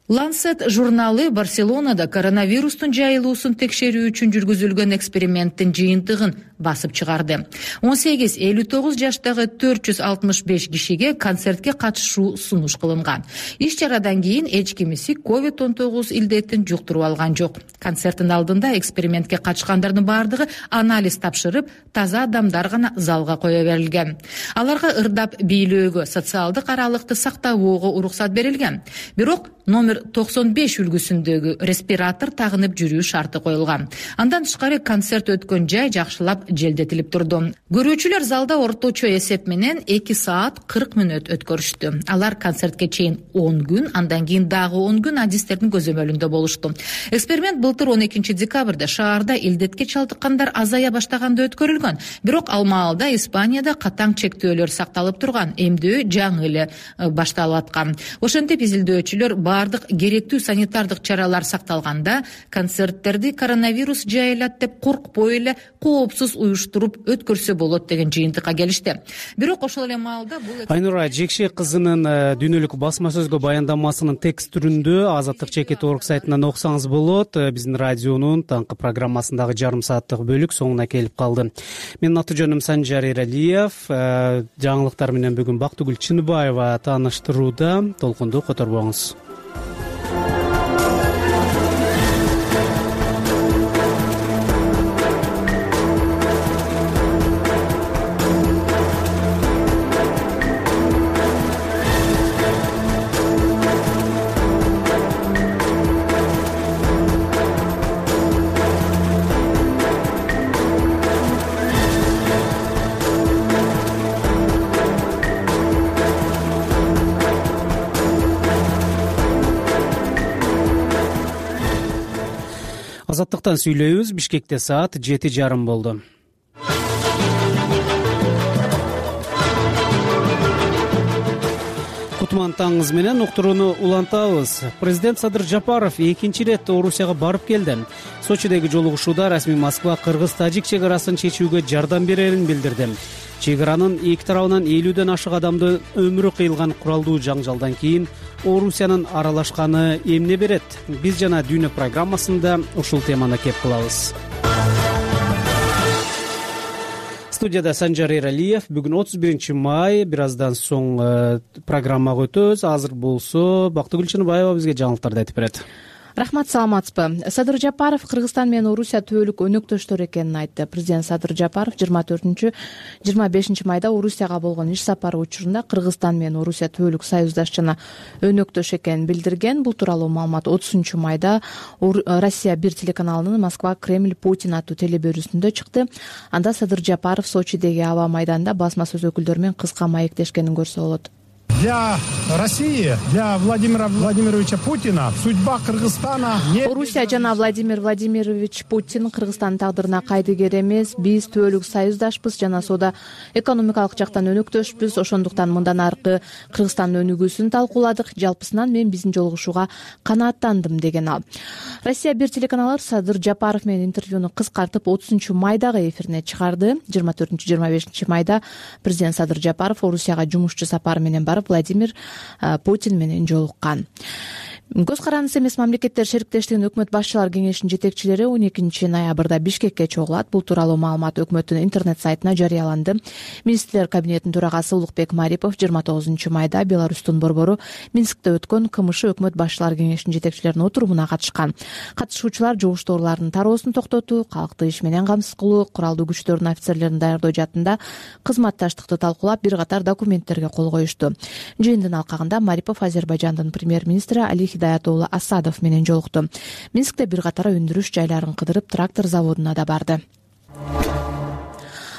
Lancet журналы Барселонада коронавирустун жайылуусун текшерүү үчүн жүргүзүлгөн эксперименттин жыйынтыгын басып чыгарды. 18-59 жаштагы 465 кишиге концертке катышуу сунуш кылынган. Иш чарадан кийин эч кимиси COVID-19 илдетин жуктуруп алган жок. Концерттин алдында экспериментке катышкандардын баардыгы анализ тапшырып, таза адамдар гана залга кое берилген. Аларга ырдап бийлөөгө, социалдык аралыкты сактабоого уруксат берилген. Бирок номер 95 үлгүсүндөгү респиратор тагынып жүрүү шарты коюлган. Андан тышкары концерт өткөн жай жакшылап желдетилип турду. Көрүүчүлөр залда орточо эсеп менен 2 саат 40 мүнөт өткөрүштү. Алар концертке чейин 10 күн, андан кийин дагы 10 күн адистердин көзөмөлүндө болушту. Эксперимент былтыр 12 декабрда шаарда илдетке чалдыккандар азая баштаганда өткөрүлгөн. Бирок ал маалда Испанияда катаң чектөөлөр сакталып турган, эмдөө жаңы эле башталып аткан. Ошентип изилдөөчүлөр бардык керектүү санитардык чаралар сакталганда концерттерди коронавирус жайылат деп коркпой эле коопсуз уюштуруп өткөрсө болот деген жыйынтыкка келишти. Бирок ошол эле маалда бул Айнура Жекшек кызынын дүйнөлүк басма сөзгө баяндамасынын текст түрүндө azatlyk.org сайтынан окусаңыз болот. Биздин радионун таңкы программасындагы жарым сааттык бөлүк соңуна келип калды. Менин аты жөнүм Санжар Эралиев. Жаңылыктар менен бүгүн Бактыгүл Чыныбаева тааныштырууда. Толкунду которбоңуз. азаттыктан сүйлөйбүз. Бишкекте саат 7:30 болду. Кутман таңыңыз менен уктурууну улантабыз. Президент Садыр Жапаров экинчи ирет Орусияга барып келди. Сочидеги жолугушууда расмий Москва кыргыз-тажик чек арасын чечүүгө жардам берерин билдирди. Чек аранын эки тарабынан 50ден ашык адамдын өмүрү кыйылган куралдуу жаңжалдан кийин Орусиянын аралашканы эмне берет? Биз жана Дүйнө программасында ушул теманы кеп кылабыз. Студияда Санжар Эралиев. Бүгүн 31 май. Бир аздан соң программага өтөбүз. Азыр болсо Бактыгүл Чыныбаева бизге жаңылыктарды айтып берет. Рахмат, саламатсызбы? Садыр Жапаров Кыргызстан менен Орусия түбөлүк өнөктөштөр экенин айтты. Президент Садыр Жапаров 24-25 майда Орусияга болгон иш сапары учурунда Кыргызстан менен Орусия түбөлүк союздаш жана өнөктөш экенин билдирген. Бул тууралуу маалымат 30 майда Россия 1 телеканалынын Москва Кремль Путин аттуу телеберүүсүндө чыкты. Анда Садыр Жапаров Сочидеги аба майданында басма сөз өкүлдөрү менен кыска маектешкенин көрсө болот. Для России, для Владимира Владимировича Путина судьба Кыргызстана не... Орусия жана Владимир Владимирович Путин Кыргызстандын тагдырына кайдыгер эмес. Биз түбөлүк союздашпыз жана соода экономикалык жактан өнөктөшпүз. Ошондуктан мындан аркы Кыргызстандын өнүгүүсүн талкууладык. Жалпысынан мен биздин жолугушууга канааттандым деген ал. Россия 1 телеканалы Садыр Жапаров менен интервьюну кыскартып 30 майдагы эфирине чыгарды. 24-25 майда президент Садыр Жапаров Орусияга жумушчу сапары менен барып Владимир Путин менен жолуккан. Көз карандысы эмес мамлекеттер шериктештигинин өкмөт башчылар кеңешинин жетекчилери 12 ноябрда Бишкекке чогулат. Бул тууралуу маалымат өкмөттүн интернет сайтына жарыяланды. Министрлер кабинетинин төрагасы Улукбек Марипов 29 майда Беларустун борбору Минскте өткөн КМШ өкмөт башчылар кеңешинин жетекчилеринин отурумуна катышкан. Катышуучулар жугуш тоорулардын тароосун токтотуу, калкты иш менен камсыз кылуу, куралдуу күчтөрдүн офицерлерин даярдоо жаатында кызматташтыкты талкуулап, бир катар документтерге кол коюшту. Жыйындын алкагында Марипов Азербайжандын премьер-министри Али Хидаят уулу Асадов менен жолукту. Минскте бир катар өндүрүш жайларын кыдырып, трактор заводуна да барды.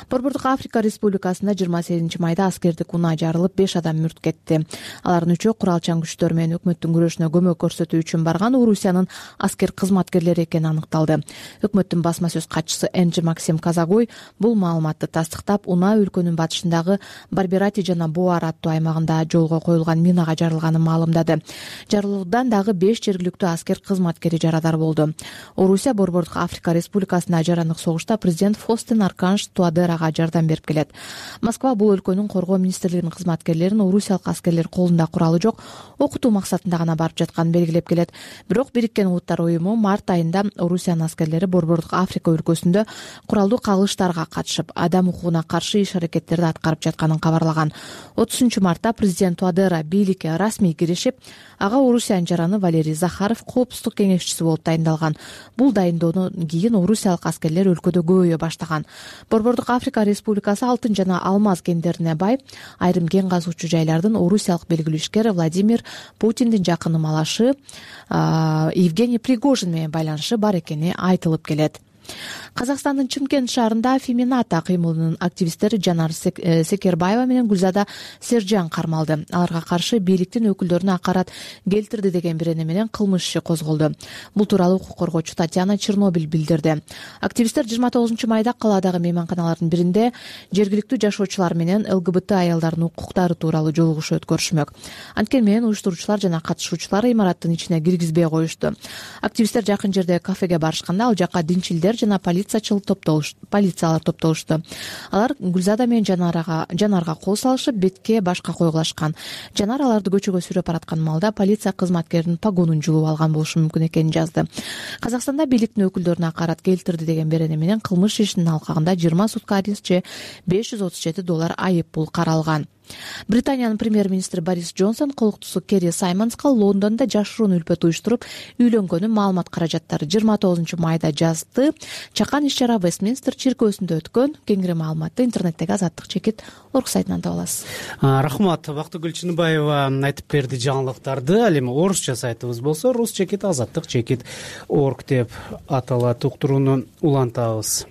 Борбордук Африка Республикасында 28 майда аскердик унаа жарылып 5 адам мүрт кетти. Алардын үчөө куралчан күчтөр менен өкмөттүн күрөшүнө көмөк көрсөтүү үчүн барган Орусиянын аскер кызматкерлери экени аныкталды. Өкмөттүн басма сөз катчысы Энджи Максим Казагой бул маалыматты тастыктап, унаа өлкөнүн батышындагы Барберати жана Буар аттуу аймагында жолго коюлган минага жарылганын маалымдады. Жарылуудан дагы 5 жергиликтүү аскер кызматкери жарадар болду. Орусия Борбордук Африка Республикасында жарандык согушта президент Фостен Арканш Туадера жардам берип келет. Москва бул өлкөнүн коргоо министрлигинин кызматкерлерин орусиялык аскерлер колунда куралы жок, окутуу максатында гана барып жатканын белгилеп келет. Бирок Бириккен Улуттар уюму март айында Орусиянын аскерлери Борбордук Африка өлкөсүндө куралдуу кагылыштарга катышып, адам укугуна каршы иш аракеттерди аткарып жатканын кабарлаган. 30 мартта президент Туадера бийликке расмий киришип, ага Орусиянын жараны Валерий Захаров коопсуздук кеңешчиси болуп дайындалган. Бул дайындоодон кийин орусиялык аскерлер өлкөдө көбөйө баштаган. Борбордук Африка Республикасы алтын жана алмаз кендерине бай, айрым кен казуучу жайлардын орусиялык белгилүү ишкер Владимир Путиндин жакын малашы Евгений Пригожин менен байланышы бар экени айтылып келет. Казакстандын Чымкент шаарында Фемината кыймылынын активисттери Жанар Секербаева менен Гүлзада Сержан кармалды. Аларга каршы бийликтин өкүлдөрүнө акарат келтирди деген бирөөне менен кылмыш иши козголду. Бул тууралуу укук коргоочу Татьяна Чернобиль билдирди. Активисттер 29 майда каладагы мейманканалардын биринде жергиликтүү жашоочулар менен ЛГБТ аялдардын укуктары тууралуу жолугушуу өткөрүшмөк. Анткени менен уюштуруучулар жана катышуучулар имараттын ичине киргизбей коюшту. Активисттер жакын жердеги кафеге барышканда ал жакка динчилдер жана полициялар топтолушту. Алар Гүлзада менен Жанарга кол салышып, бетке башка койгулашкан. Жанар аларды көчөгө сүйрөп бараткан маалда полиция кызматкеринин погонун жулуп алган болушу мүмкүн экенин жазды. Казакстанда бийликтин өкүлдөрүнө акарат келтирди деген берене менен кылмыш ишинин алкагында 20 сутка арест же $537 айып пул каралган. Британиянын премьер-министри Борис Джонсон колуктусу Керри Саймонска Лондондо жашыруун үлпөт уюштуруп үйлөнгөнүн маалымат каражаттары 29 майда жазды. Чакан иш-чара Вестминстер чиркөөсүндө өткөн. Кеңири маалыматты интернеттеги Азаттык чекит орг сайтынан таба аласыз. Рахмат. Бактыгүл Чыныбаева айтып берди жаңылыктарды. Ал эми орусча сайтыбыз болсо рус чекит азаттык чекит орг деп аталат. Уктурууну улантабыз.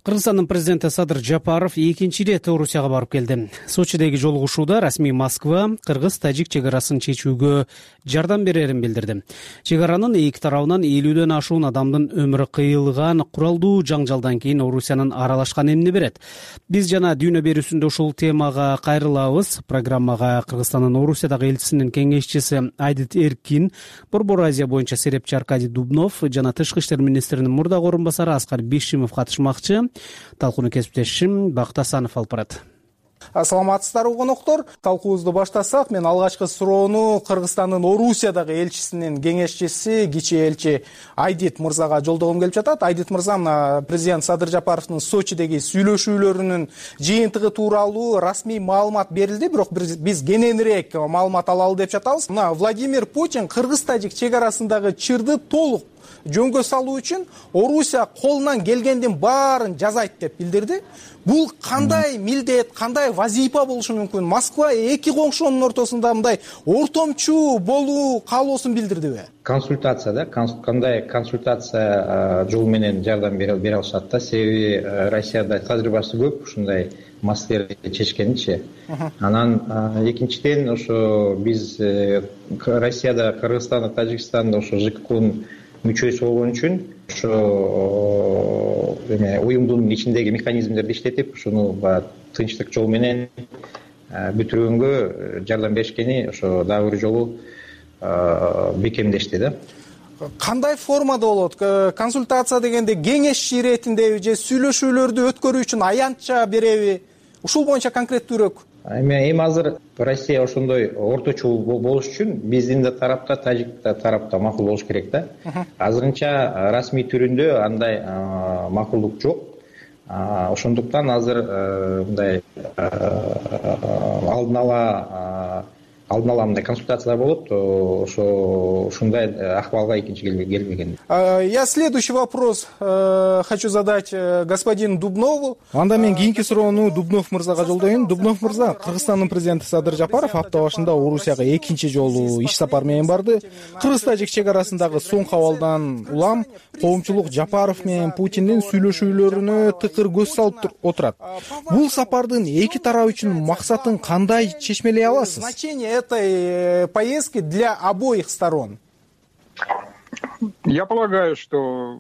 Кыргызстандын президенти Садыр Жапаров экинчи ирет Орусияга барып келди. Сочидеги жолугушууда расмий Москва кыргыз-тажик чек арасын чечүүгө жардам берерин билдирди. Чек аранын эки тарабынан 50дөн ашуун адамдын өмүрү кыйылган куралдуу жаңжалдан кийин Орусиянын аралашканы эмне берет? Биз жана дүйнө берүүсүндө ушул темага кайрылабыз. Программага Кыргызстандын Орусиядагы элчисинин кеңешчиси Айдит Эркин, Борбор Азия боюнча серепчи Аркадий Дубнов жана Тышкы иштер министринин мурдагы орун басары Аскар Бишимов катышмакчы. Талкууну кесиптешим Бакыт Асанов алып барат. Саламатсыздарбы коноктор. Талкуубузду баштасак, мен алгачкы суроону Кыргызстандын Орусиядагы элчисинин кеңешчиси кичи элчи Айдит мырзага жолдогум келип жатат. Айдит мырза, мына президент Садыр Жапаровдун Сочидеги сүйлөшүүлөрүнүн жыйынтыгы тууралуу расмий маалымат берилди, бирок биз кененирээк маалымат алалы деп жатабыз. Мына Владимир Путин кыргыз-тажик чек арасындагы чырды толук жөнгө салуу үчүн Орусия колунан келгендин баарын жасайт деп билдирди. Бул кандай милдет, кандай вазифа болушу мүмкүн? Москва эки коңшунун ортосунда мындай ортомчу болуу каалоосун билдирдиби? Консультация, кандай консультация жол менен жардам бере алышат да. Себеби Россияда тажрыйбасы көп ушундай маселелерди чечкенчи. Анан экинчиден ошо биз Россияда, Кыргызстанда, Тажикстанда ошо ЖККнын мүчөсү болгон үчүн ошо уюмдун ичиндеги механизмдерди иштетип, ушуну тынчтык жол менен бүтүргөнгө жардам беришкени ошо дагы бир жолу бекемдешти да. Кандай формада болот? Консультация дегенде кеңеш иретиндеби же сүйлөшүүлөрдү өткөрүү үчүн аянтча береби? Ушул боюнча конкреттүүрөөк. Эми азыр Россия ошондой орточу болуш үчүн биздин да тарапта, тажик тарапта макул болуш керек да. Азырынча расмий түрүндө андай макулдук жок. Ошондуктан азыр мындай алдын ала мындай консультациялар болот, ушундай акыбалга экинчи келбеген. Я следующий вопрос хочу задать господину Дубнову. Анда мен кийинки суроону Дубнов мырзага жолдоюн. Дубнов мырза, Кыргызстандын президенти Садыр Жапаров апта башында Орусияга экинчи жолу иш сапар менен барды. Кыргыз-тажик чек арасындагы соңку абалдан улам коомчулук Жапаров менен Путиндин сүйлөшүүлөрүнө тыкыр көз салып отурат. Бул сапардын эки тарап үчүн максатын кандай чечмелей аласыз? Этой поездки для обоих сторон? Я полагаю, что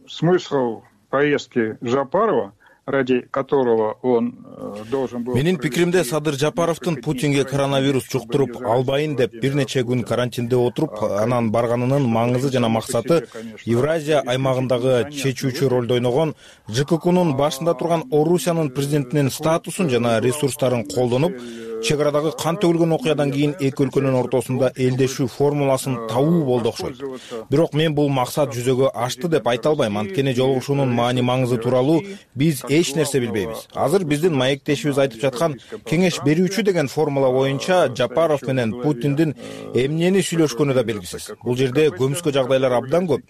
смысл поездки Жапарова, ради которого он должен был... Менин пикиримде Садыр Жапаровдун Путинге коронавирус жуктуруп албайын деп бир нече күн карантинде отуруп, анан барганынын маңызы жана максаты Евразия аймагындагы чечүүчү ролду ойногон ЖККнын башында турган Орусиянын президентинин статусун жана ресурстарын колдонуп, чек арадагы кан төгүлгөн окуядан кийин эки өлкөнүн ортосунда элдешүү формуласын табуу болду окшойт. Бирок мен бул максат жүзөгө ашты деп айта албайм. Анткени жолугушуунун маани маңызы тууралуу биз эч нерсе билбейбиз. Азыр биздин маектешибиз айтып жаткан кеңеш берүүчү деген формула боюнча Жапаров менен Путиндин эмнени сүйлөшкөнү да белгисиз. Бул жерде көмүскө жагдайлар абдан көп.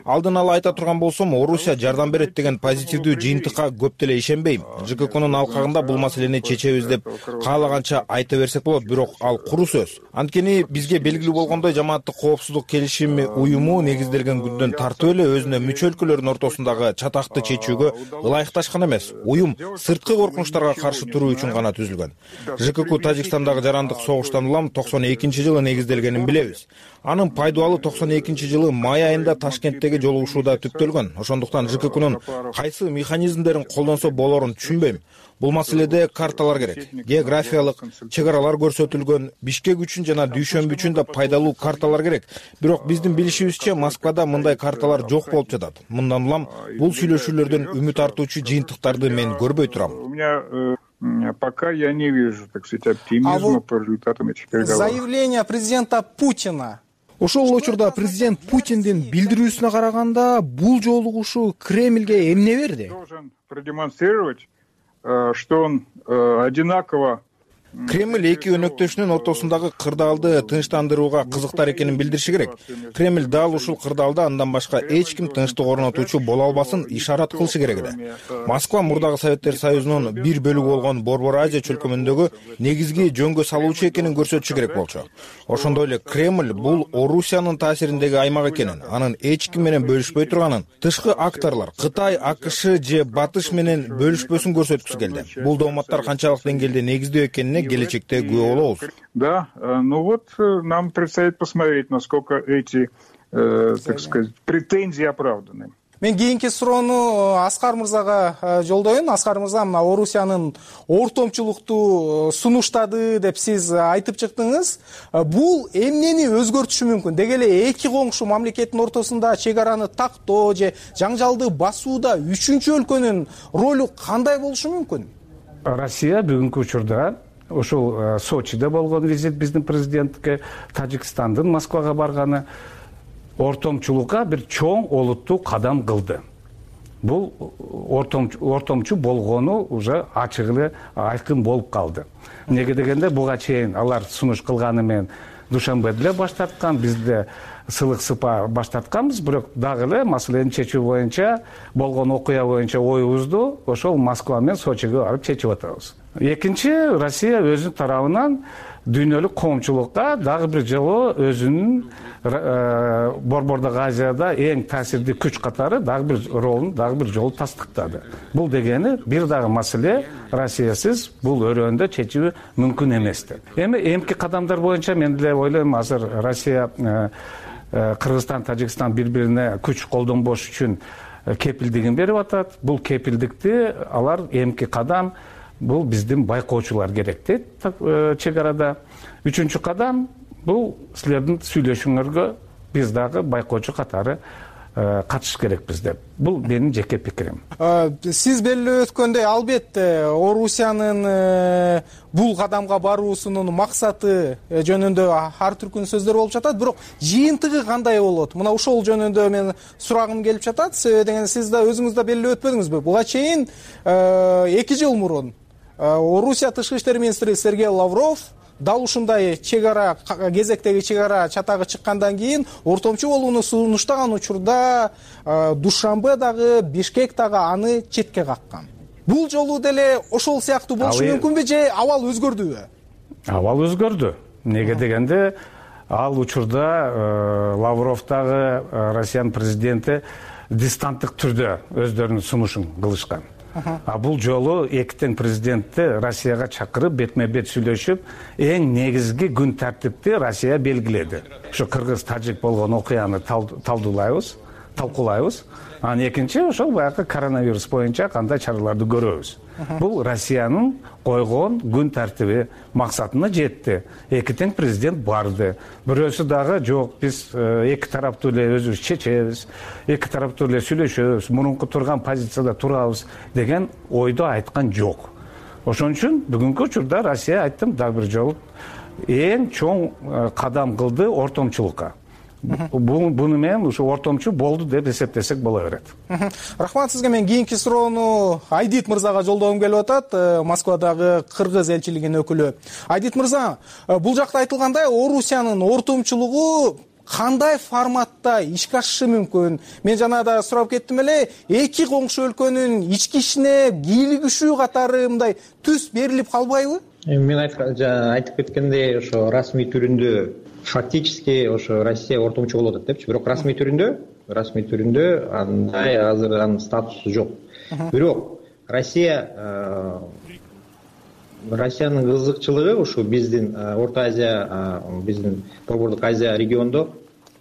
Алдын ала айта турган болсом, Орусия жардам берет деген позитивдүү жыйынтыкка көп деле ишенбейм. ЖККнын алкагында бул маселени чечебиз деп каалаганча айта берсек болот, бирок ал куру сөз. Анткени бизге белгилүү болгондой жамааттык коопсуздук келишими уюму негизделген күндөн тартып эле өзүнө мүчө өлкөлөрдүн ортосундагы чатакты чечүүгө ылайыкташкан эмес. Уюм сырткы коркунучтарга каршы туруу үчүн гана түзүлгөн. ЖКК Тажикстандагы жарандык согуштан улам 92-жылы негизделгенин билебиз. Анын пайдубалы 92-жылы май айында Ташкенттеги жолугушууда түптөлгөн. Ошондуктан ЖККнын кайсы механизмдерин колдонсо болорун түшүнбөйм. Бул маселеде карталар керек. Географиялык чек аралар көрсөтүлгөн, Бишкек үчүн жана Дүйшөмбү үчүн да пайдалуу карталар керек. Бирок биздин билишибизче Москвада мындай карталар жок болуп жатат. Мындан улам бул сүйлөшүүлөрдөн үмүт артуучу жыйынтыктарды мен көрбөй турам. У меня пока я не вижу, так сказать, оптимизма по результатам этих переговоров. Заявление президента Путина. Ошол учурда президент Путиндин билдирүүсүнө караганда бул жолугушуу Кремльге эмне берди? Должен продемонстрировать, что он одинаково Кремль эки өнөктөшүнүн ортосундагы кырдаалды тынчтандырууга кызыктар экенин билдириши керек. Кремль дал ушул кырдаалда андан башка эч ким тынчтык орнотуучу боло албасын ишарат кылышы керек эле. Москва мурдагы Советтер Союзунун бир бөлүгү болгон Борбор Азия чөлкөмүндөгү негизги жөнгө салуучу экенин көрсөтүшү керек болчу. Ошондой эле Кремль бул Орусиянын таасириндеги аймак экенин, анын эч ким менен бөлүшпөй турганын, тышкы акторлор Кытай, АКШ же Батыш менен бөлүшпөсүн көрсөткүсү келди. Бул дооматтар канчалык деңгээлде негиздүү экенине келечекте күбө болобуз. Да, ну вот нам предстоит посмотреть, насколько эти, так сказать, претензии оправданы. Мен кийинки суроону Аскар мырзага жолдоюн. Аскар мырза, мына Орусиянын ортомчулукту сунуштады деп сиз айтып чыктыңыз. Бул эмнени өзгөртүшү мүмкүн? Деги эле эки коңшу мамлекеттин ортосунда чек араны тактоо же жаңжалды басууда үчүнчү өлкөнүн ролу кандай болушу мүмкүн? Россия бүгүнкү учурда ошол Сочиде болгон визит биздин президентке, Тажикстандын Москвага барганы ортомчулукка бир чоң олуттуу кадам кылды. Бул ортомчу болгону уже ачык эле айкын болуп калды. Неге дегенде буга чейин алар сунуш кылганы менен Душанбеде эле баш тарткан, бизде сылык сыпа баш тартканбыз, бирок дагы эле маселени чечүү боюнча болгон окуя боюнча оюбузду ошол Москва менен Сочиге барып чечип атабыз. Экинчи, Россия өзүнүн тарабынан дүйнөлүк коомчулукка дагы бир жолу өзүнүн Борбордук Азияда эң таасирдүү күч катары дагы бир ролун дагы бир жолу тастыктады. Бул дегени бир дагы маселе Россиясыз бул өрөөндө чечүү мүмкүн эмес деп. Эми эмки кадамдар боюнча мен деле ойлойм, азыр Россия, Кыргызстан, Тажикстан бири-бирине күч колдонбош үчүн кепилдигин берип атат. Бул кепилдикти алар эмки кадам бул биздин байкоочулар керек дейт чек арада. Үчүнчү кадам бул силердин сүйлөшүүңөргө биз дагы байкоочу катары катышыш керекпиз деп. Бул менин жеке пикирим. Сиз белгилеп өткөндөй, албетте Орусиянын бул кадамга баруусунун максаты жөнүндө ар түркүн сөздөр болуп жатат, бирок жыйынтыгы кандай болот? Мына ошол жөнүндө мен сурагым келип жатат. Себеби дегенде сиз да өзүңүз да белгилеп өтпөдүңүзбү? Буга чейин 2 жыл мурун Орусия тышкы иштер министри Сергей Лавров дал ушундай чек ара кезектеги чек ара чатагы чыккандан кийин ортомчу болууну сунуштаган учурда Душанбе дагы, Бишкек дагы аны четке каккан. Бул жолу деле ошол сыяктуу болушу мүмкүнбү же абал өзгөрдүбү? Абал өзгөрдү. Неге дегенде ал учурда Лавров дагы Россиянын президенти дистанттык түрдө өздөрүнүн сунушун кылышкан. Бул жолу эки тең президентти Россияга чакырып бетме-бет сүйлөшүп, эң негизги күн тартипти Россия белгиледи. Ошо кыргыз-тажик болгон окуяны талкуулайбыз. Анан экинчи ошол баягы коронавирус боюнча кандай чараларды көрөбүз. Бул Россиянын койгон күн тартиби максатына жетти. Эки тең президент барды. Бирөөсү дагы жок, биз эки тараптуу эле өзүбүз чечебиз, эки тараптуу эле сүйлөшөбүз, мурунку турган позицияда турабыз деген ойду айткан жок. Ошон үчүн бүгүнкү учурда Россия, айттым, дагы бир жолу эң чоң кадам кылды ортомчулукка. Буну менен ушу ортомчу болду деп эсептесек боло берет. Рахмат сизге. Мен кийинки суроону Айдит мырзага жолдогум келип атат, Москвадагы кыргыз элчилигинин өкүлү. Айдит мырза, бул жакта айтылгандай, Орусиянын ортомчулугу кандай форматта ишке ашышы мүмкүн? Мен жана да сурап кеттим эле, эки коңшу өлкөнүн ички ишине кийлигишүү катары мындай түс берилип калбайбы? Мен айтып кеткендей, ошо расмий түрүндө фактически ошо Россия ортомчу болуп атат депчи, бирок расмий түрүндө андай азыр анын статусу жок. Бирок Россиянын кызыкчылыгы ушу биздин Орто Азия, биздин Борбордук Азия региондо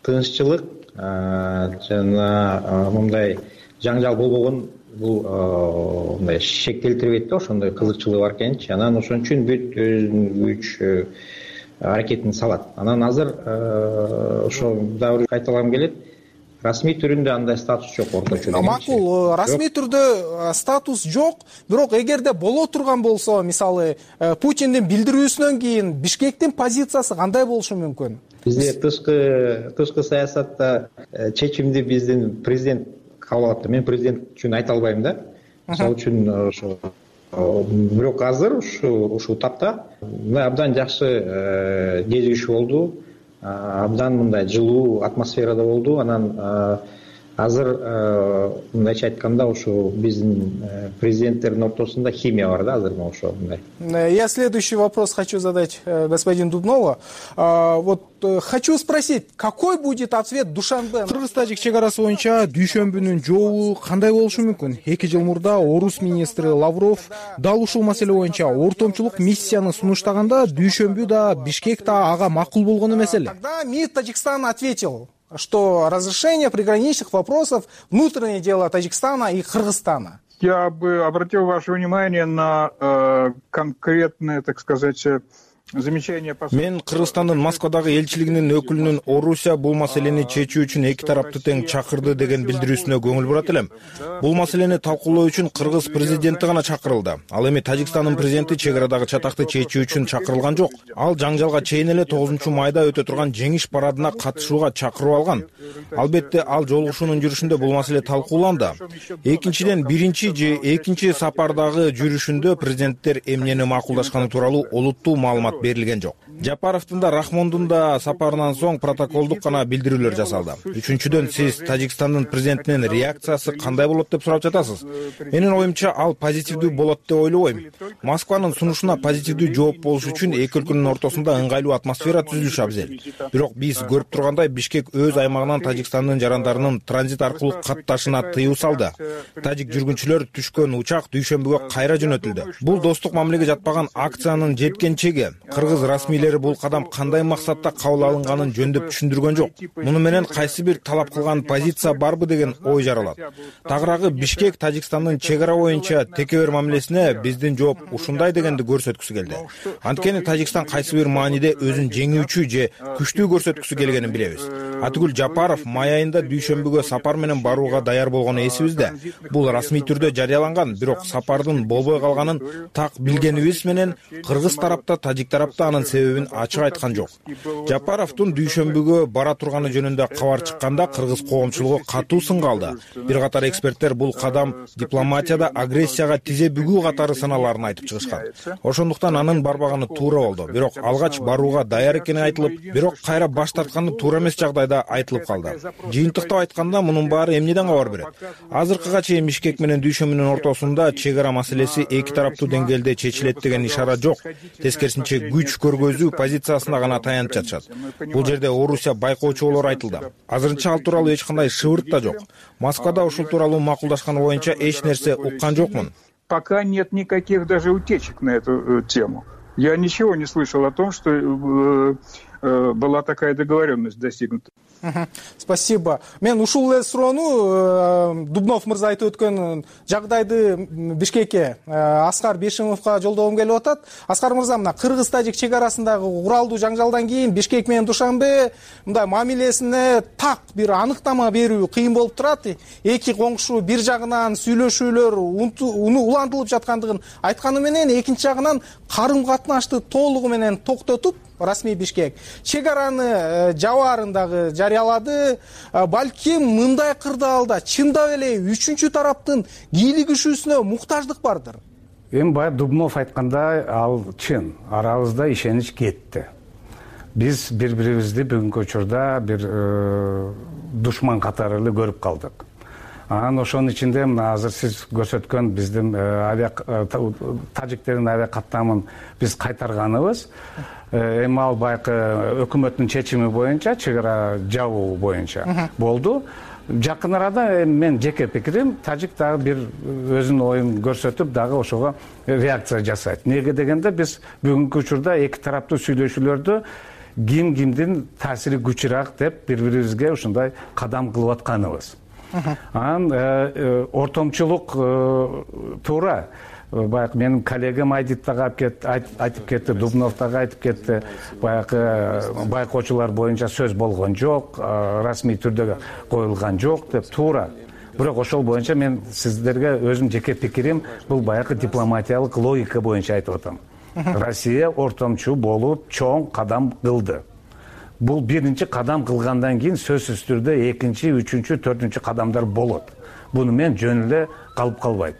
тынччылык жана мындай жаңжал болбогон, бул мындай шек келтирбейт да, ошондой кызыкчылыгы бар экенчи. Анан ошон үчүн бүт өзүнүн күч аракетин салат. Анан азыр ошо дагы кайталагым келет. Расмий түрүндө андай статус жок орточу. Макул, расмий түрдө статус жок, бирок эгерде боло турган болсо, мисалы, Путиндин билдирүүсүнөн кийин Бишкектин позициясы кандай болушу мүмкүн? Бизде тышкы саясатта чечимди биздин президент кабыл алат. Мен президент үчүн айта албайм да. Мисалы үчүн ошо бирок азыр ушул тапта мындай абдан жакшы кезигишүү болду, абдан мындай жылуу атмосферада болду. Анан азыр мындайча айтканда ушу биздин президенттердин ортосунда химия бар да азыр ошо мындай. Я следующий вопрос хочу задать господину Дубнову. Вот хочу спросить, какой будет ответ Душанбе? Кыргыз-тажик чек арасы боюнча дүйшөмбүнүн жообу кандай болушу мүмкүн? 2 жыл мурда Орус министри Лавров дал ушул маселе боюнча ортомчулук миссияны сунуштаганда дүйшөмбү да Бишкек да ага макул болгон эмес эле. Тогда МИД Таджикистана ответил, что разрешение приграничных вопросов — внутреннее дело Таджикистана и Кыргызстана. Я бы обратил ваше внимание на конкретное, так сказать, замечание. Мен Кыргызстандын Москвадагы элчилигинин өкүлүнүн Орусия бул маселени чечүү үчүн эки тараптуу тең чакырды деген билдирүүсүнө көңүл бурат элем. Бул маселени талкуулоо үчүн Кыргыз президенти гана чакырылды. Ал эми Тажикстандын президенти чек арадагы чатакты чечүү үчүн чакырылган жок. Ал жаңжалга чейин эле 9-майда өтө турган жеңиш парадына катышууга чакыруу алган. Албетте ал жолугушуунун жүрүшүндө бул маселе талкууланды. Экинчиден, биринчи же экинчи сапардагы жүрүшүндө президенттер эмнени макулдашканы тууралуу олуттуу маалымат берилген жок. Жапаровдун да Рахмондун да сапарынан соң протоколдук гана билдирүүлөр жасалды. Үчүнчүдөн, сиз Тажикстандын президентинин реакциясы кандай болот деп сурап жатасыз. Менин оюмча ал позитивдүү болот деп ойлобойм. Москванын сунушуна позитивдүү жооп болуш үчүн эки өлкөнүн ортосунда ыңгайлуу атмосфера түзүлүшү абзел. Бирок биз көрүп тургандай Бишкек өз аймагынан Тажикстандын жарандарынын транзит аркылуу катташына тыюу салды. Тажик жүргүнчүлөр түшкөн учак дүйшөмбүгө кайра жөнөтүлдү. Бул достук мамилеге жатпаган акциянын жеткенчеги. Кыргыз расмийлери бул кадам кандай максатта кабыл алынганын жөндөп түшүндүргөн жок. Муну менен кайсы бир талап кылган позиция барбы деген ой жаралат. Тагыраагы Бишкек Тажикстандын чек ара боюнча текебер мамилесине биздин жооп ушундай дегенди көрсөткүсү келди. Анткени Тажикстан кайсы бир мааниде өзүн жеңүүчү же күчтүү көрсөткүсү келгенин билебиз. Атүгүл Жапаров май айында дүйшөмбүгө сапар менен барууга даяр болгону эсибизде. Бул расмий түрдө жарыяланган, бирок сапардын болбой калганын так билгенибиз менен Кыргыз тарапта, Тажик тарапта анын себебин ачык айткан жок. Жапаровдун дүйшөмбүгө бара турганы жөнүндө кабар чыкканда кыргыз коомчулугу катуу сынга алды. Бир катар эксперттер бул кадам дипломатияда агрессияга тизе бүгүү катары саналарын айтып чыгышкан. Ошондуктан анын барбаганы туура болду. Бирок алгач барууга даяр экени айтылып, бирок кайра баш тартканы туура эмес жагдайда айтылып калды. Жыйынтыктап айтканда мунун баары эмнеден кабар берет? Азыркыга чейин Бишкек менен дүйшөмбүнүн ортосунда чек ара маселеси эки тараптуу деңгээлде чечилет деген ишара жок. Тескерисинче күч көргөзүү позициясына гана таянып жатышат. Бул жерде Орусия байкоочу болор айтылды. Азырынча ал тууралуу эч кандай шыбырт да жок. Москвада ушул тууралуу макулдашканы боюнча эч нерсе уккан жокмун. Пока нет никаких даже утечек на эту тему. Я ничего не слышал о том, что была такая договоренность достигнута. Спасибо. Мен ушул эле суроону Дубнов мырза айтып өткөн жагдайды Бишкекке Аскар Бешимовго жолдогум келип атат. Аскар мырза, мына Кыргыз-Тажик чек арасындагы уралдуу жаңжалдан кийин Бишкек менен Душанбе мындай мамилесине так бир аныктама берүү кыйын болуп турат. Эки коңшу бир жагынан сүйлөшүүлөр улантылып жаткандыгын айтканы менен, экинчи жагынан карым катнашты толугу менен токтотуп расмий Бишкек чек араны жабаарындагы жарыялады. Балким мындай кырдаалда чындап эле үчүнчү тараптын кийлигишүүсүнө муктаждык бардыр. Эми баягы Дубнов айткандай, ал чын. Арабызда ишенич кетти. Биз бири-бирибизди бүгүнкү учурда бир душман катары эле көрүп калдык. Анан ошонун ичинде мына азыр сиз көрсөткөн биздин тажиктердин авиа каттамын биз кайтарганыбыз эми ал байкы өкмөттүн чечими боюнча чек ара жабуу боюнча болду. Жакын арада мен жеке пикирим, тажик дагы бир өзүнүн оюн көрсөтүп дагы ошого реакция жасайт. Неге дегенде биз бүгүнкү учурда эки тараптуу сүйлөшүүлөрдө ким кимдин таасири күчүрөөк деп бири-бирибизге ушундай кадам кылып атканыбыз. Анан ортомчулук туура. Баягы менин коллегам Айдит дагы айтып кетти, Дубнов дагы айтып кетти. Баягы байкоочулар боюнча сөз болгон жок, расмий түрдө коюлган жок деп туура. Бирок ошол боюнча мен сиздерге өзүм жеке пикирим, бул баягы дипломатиялык логика боюнча айтып атам. Россия ортомчу болуп чоң кадам кылды. Бул биринчи кадам кылгандан кийин сөзсүз түрдө экинчи, үчүнчү, төртүнчү кадамдар болот. Буну мен жөн эле калып калбайт.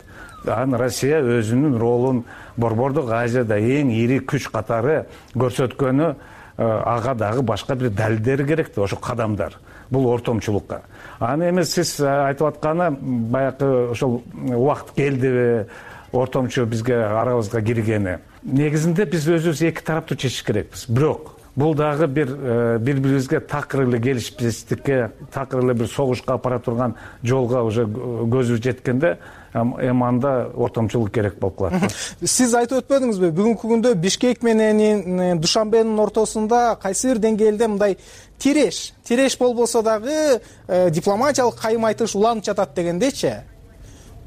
анан Россия өзүнүн ролун Борбордук Азияда эң ири күч катары көрсөткөнү ага дагы башка бир далилдери керек да, ошо кадамдар. Бул ортомчулукка. Аны эмес сиз айтып атканы баягы ошол убакыт келдиби ортомчу бизге арабызга киргени. Негизинде биз өзүбүз эки тараптуу чечиш керекпиз. Бирок бул дагы бири-бирибизге такыр эле келишпестикке, такыр эле бир согушка апара турган жолго уже көзүбүз жеткенде эми анда ортомчулук керек болуп калат. Сиз айтып өтпөдүңүзбү? Бүгүнкү күндө Бишкек менен Душанбенин ортосунда кайсы бир деңгээлде мындай тиреш болбосо дагы дипломатиялык кайым айтыш уланып жатат дегендечи.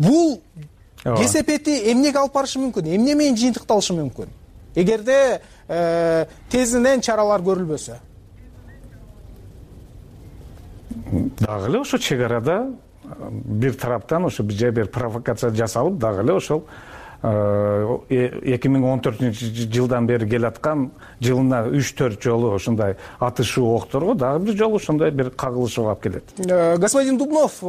Бул кесепети эмнеге алып барышы мүмкүн? Эмне менен жыйынтыкталышы мүмкүн? Эгерде тезинен чаралар көрүлбөсө. Дагы эле ошо чек арада бир тараптан ошо бир провокация жасалып, дагы эле ошол 2014 жылдан бери келаткан жылына 3-4 жолу ошондой атышуу окторго дагы бир жолу ошондой бир кагылышууга алып келет. Господин Дубнов,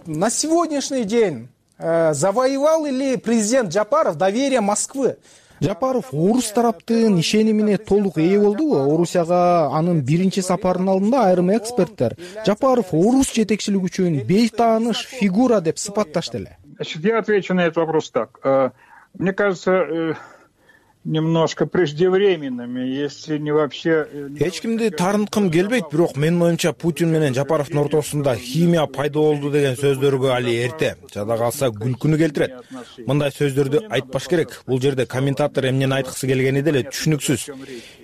на сегодняшний день завоевал ли президент Жапаров доверие Москвы? Жапаров орус тараптын ишенимине толук ээ болдубу? Орусияга анын биринчи сапарынын алдында айрым эксперттер Жапаров орус жетекчилиги үчүн бейтааныш фигура деп сыпатташты эле. Значит, я отвечу на этот вопрос так. Мне кажется, немножко преждевременными, если не вообще. Эч кимди таарынткым келбейт, бирок менин оюмча Путин менен Жапаровдун ортосунда химия пайда болду деген сөздөргө али эрте, жада калса күлкүнү келтирет. Мындай сөздөрдү айтпаш керек. Бул жерде комментатор эмнени айткысы келгени деле түшүнүксүз.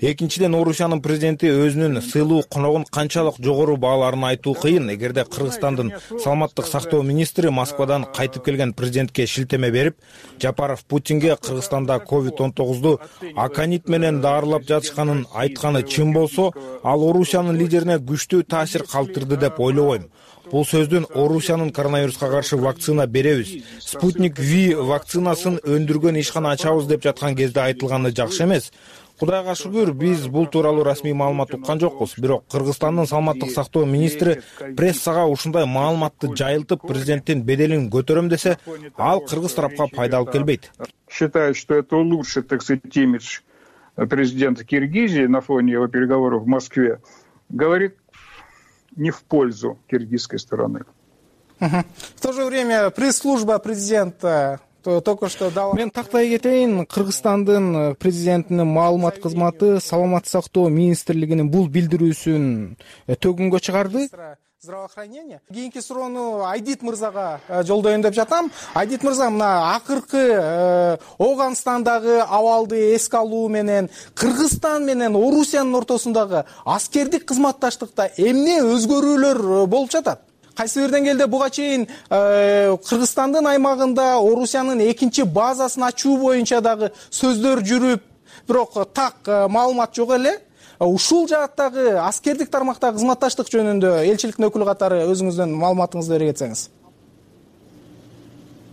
Экинчиден, Орусиянын президенти өзүнүн сыйлуу коногун канчалык жогору бааларын айтуу кыйын. Эгерде Кыргызстандын саламаттык сактоо министри Москвадан кайтып келген президентке шилтеме берип, Жапаров Путинге Кыргызстанда COVID-19 аконит менен даарылап жатышканын айтканы чын болсо, ал Орусиянын лидерине күчтүү таасир калтырды деп ойлобойм. Бул сөздүн Орусиянын коронавируска каршы вакцина беребиз, Спутник V вакцинасын өндүргөн ишкана ачабыз деп жаткан кезде айтылганы жакшы эмес. Кудайга шүгүр, биз бул тууралуу расмий маалымат уккан жокпуз. Бирок Кыргызстандын саламаттык сактоо министри прессага ушундай маалыматты жайылтып, президенттин беделин көтөрөм десе, ал кыргыз тарапка пайда алып келбейт. Считает, что это улучшит, так сказать, имидж президента Киргизии на фоне его переговоров в Москве, говорит не в пользу киргизской стороны. В то же время пресс-служба президента только что дала. Мен тактай кетейин, Кыргызстандын президентинин маалымат кызматы саламаттык сактоо министрлигинин бул билдирүүсүн төгүнгө чыгарды. Здравоохранение. Кийинки суроону Айдит мырзага жолдоюн деп жатам. Айдит мырза, мына акыркы Оганстандагы абалды эске алуу менен Кыргызстан менен Орусиянын ортосундагы аскердик кызматташтыкта эмне өзгөрүүлөр болуп жатат? Кайсы бир деңгээлде буга чейин Кыргызстандын аймагында Орусиянын экинчи базасын ачуу боюнча дагы сөздөр жүрүп, бирок так маалымат жок эле. Ушул жааттагы аскердик тармактагы кызматташтык жөнүндө элчиликтин өкүлү катары өзүңүздүн маалыматыңызды бере кетсеңиз.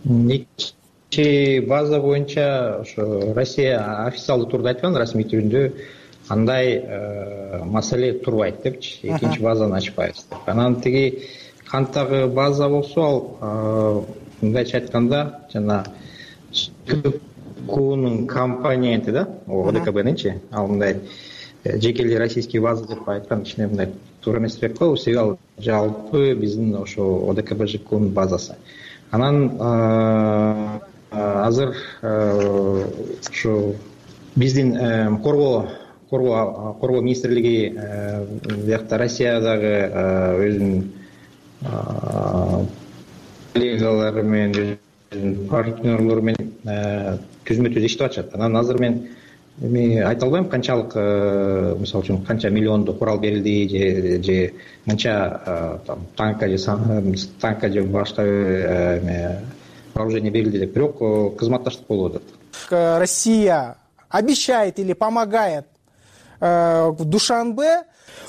Экинчи база боюнча ошо Россия официалдуу турда айткан, расмий түрүндө андай маселе турбайт депчи. Экинчи базаны ачпайбыз деп. Анан тиги канттагы база болсо, ал мындайча айтканда, жана ККУнун компоненти да, ОДКБнинчи, ал мындай жекелей российский база деп айткан ичине мындай туура эмес деп коебуз. Себеби ал жалпы биздин ошо ОДКБ ЖКУнун базасы. Анан азыр ошо биздин коргоо министрлиги биякта Россиядагы өзүнүн коллегалары менен, партнерлору менен түзмө-түз иштеп атышат. Анан азыр мен айта албайм канчалык, мисалы үчүн канча миллиондуу курал берилди же канча танка же башка вооружение берилди деп. Бирок кызматташтык болуп атат. Россия обещает или помогает Душанбе.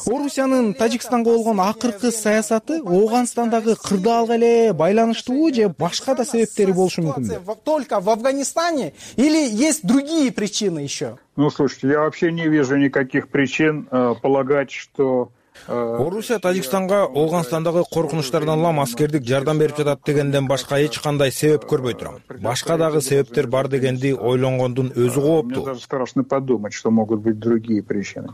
Орусиянын Тажикстанга болгон акыркы саясаты Оганстандагы кырдаалга эле байланыштуубу же башка да себептери болушу мүмкүнбү? Только в Афганистане или есть другие причины еще? Ну, слушайте, я вообще не вижу никаких причин полагать, что Орусия Тажикстанга Ооганстандагы коркунучтардан улам аскердик жардам берип жатат дегенден башка эч кандай себеп көрбөй турам. Башка дагы себептер бар дегенди ойлонгондун өзү кооптуу. Мне даже страшно подумать, что могут быть другие причины.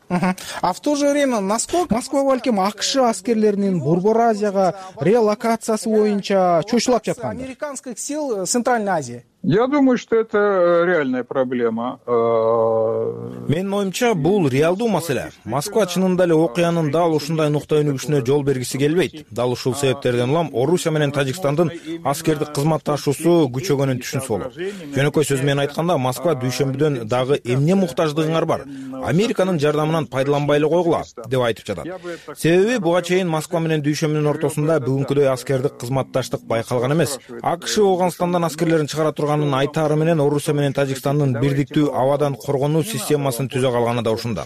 А в то же время Москва балким АКШ аскерлеринин Борбор Азияга релокациясы боюнча чочулап жаткан американских сил Центральной Азии. Я думаю, что это реальная проблема. Менин оюмча, бул реалдуу маселе. Москва чынында эле окуянын дал ушундай нукта өнүгүшүнө жол бергиси келбейт. Дал ушул себептерден улам Орусия менен Тажикстандын аскердик кызматташуусу күчөгөнүн түшүнсө болот. Жөнөкөй сөз менен айтканда, Москва дүйшөмбүдөн дагы эмне муктаждыгыңар бар? Американын жардамынан пайдаланбай эле койгула деп айтып жатат. Себеби буга чейин Москва менен дүйшөмбүнүн ортосунда бүгүнкүдөй аскердик кызматташтык байкалган эмес. АКШ Ооганстандан аскерлерин чыгара турганын айтаары менен Орусия менен Тажикстандын бирдиктүү абадан коргонуу системасын түзө калганы да ушунда.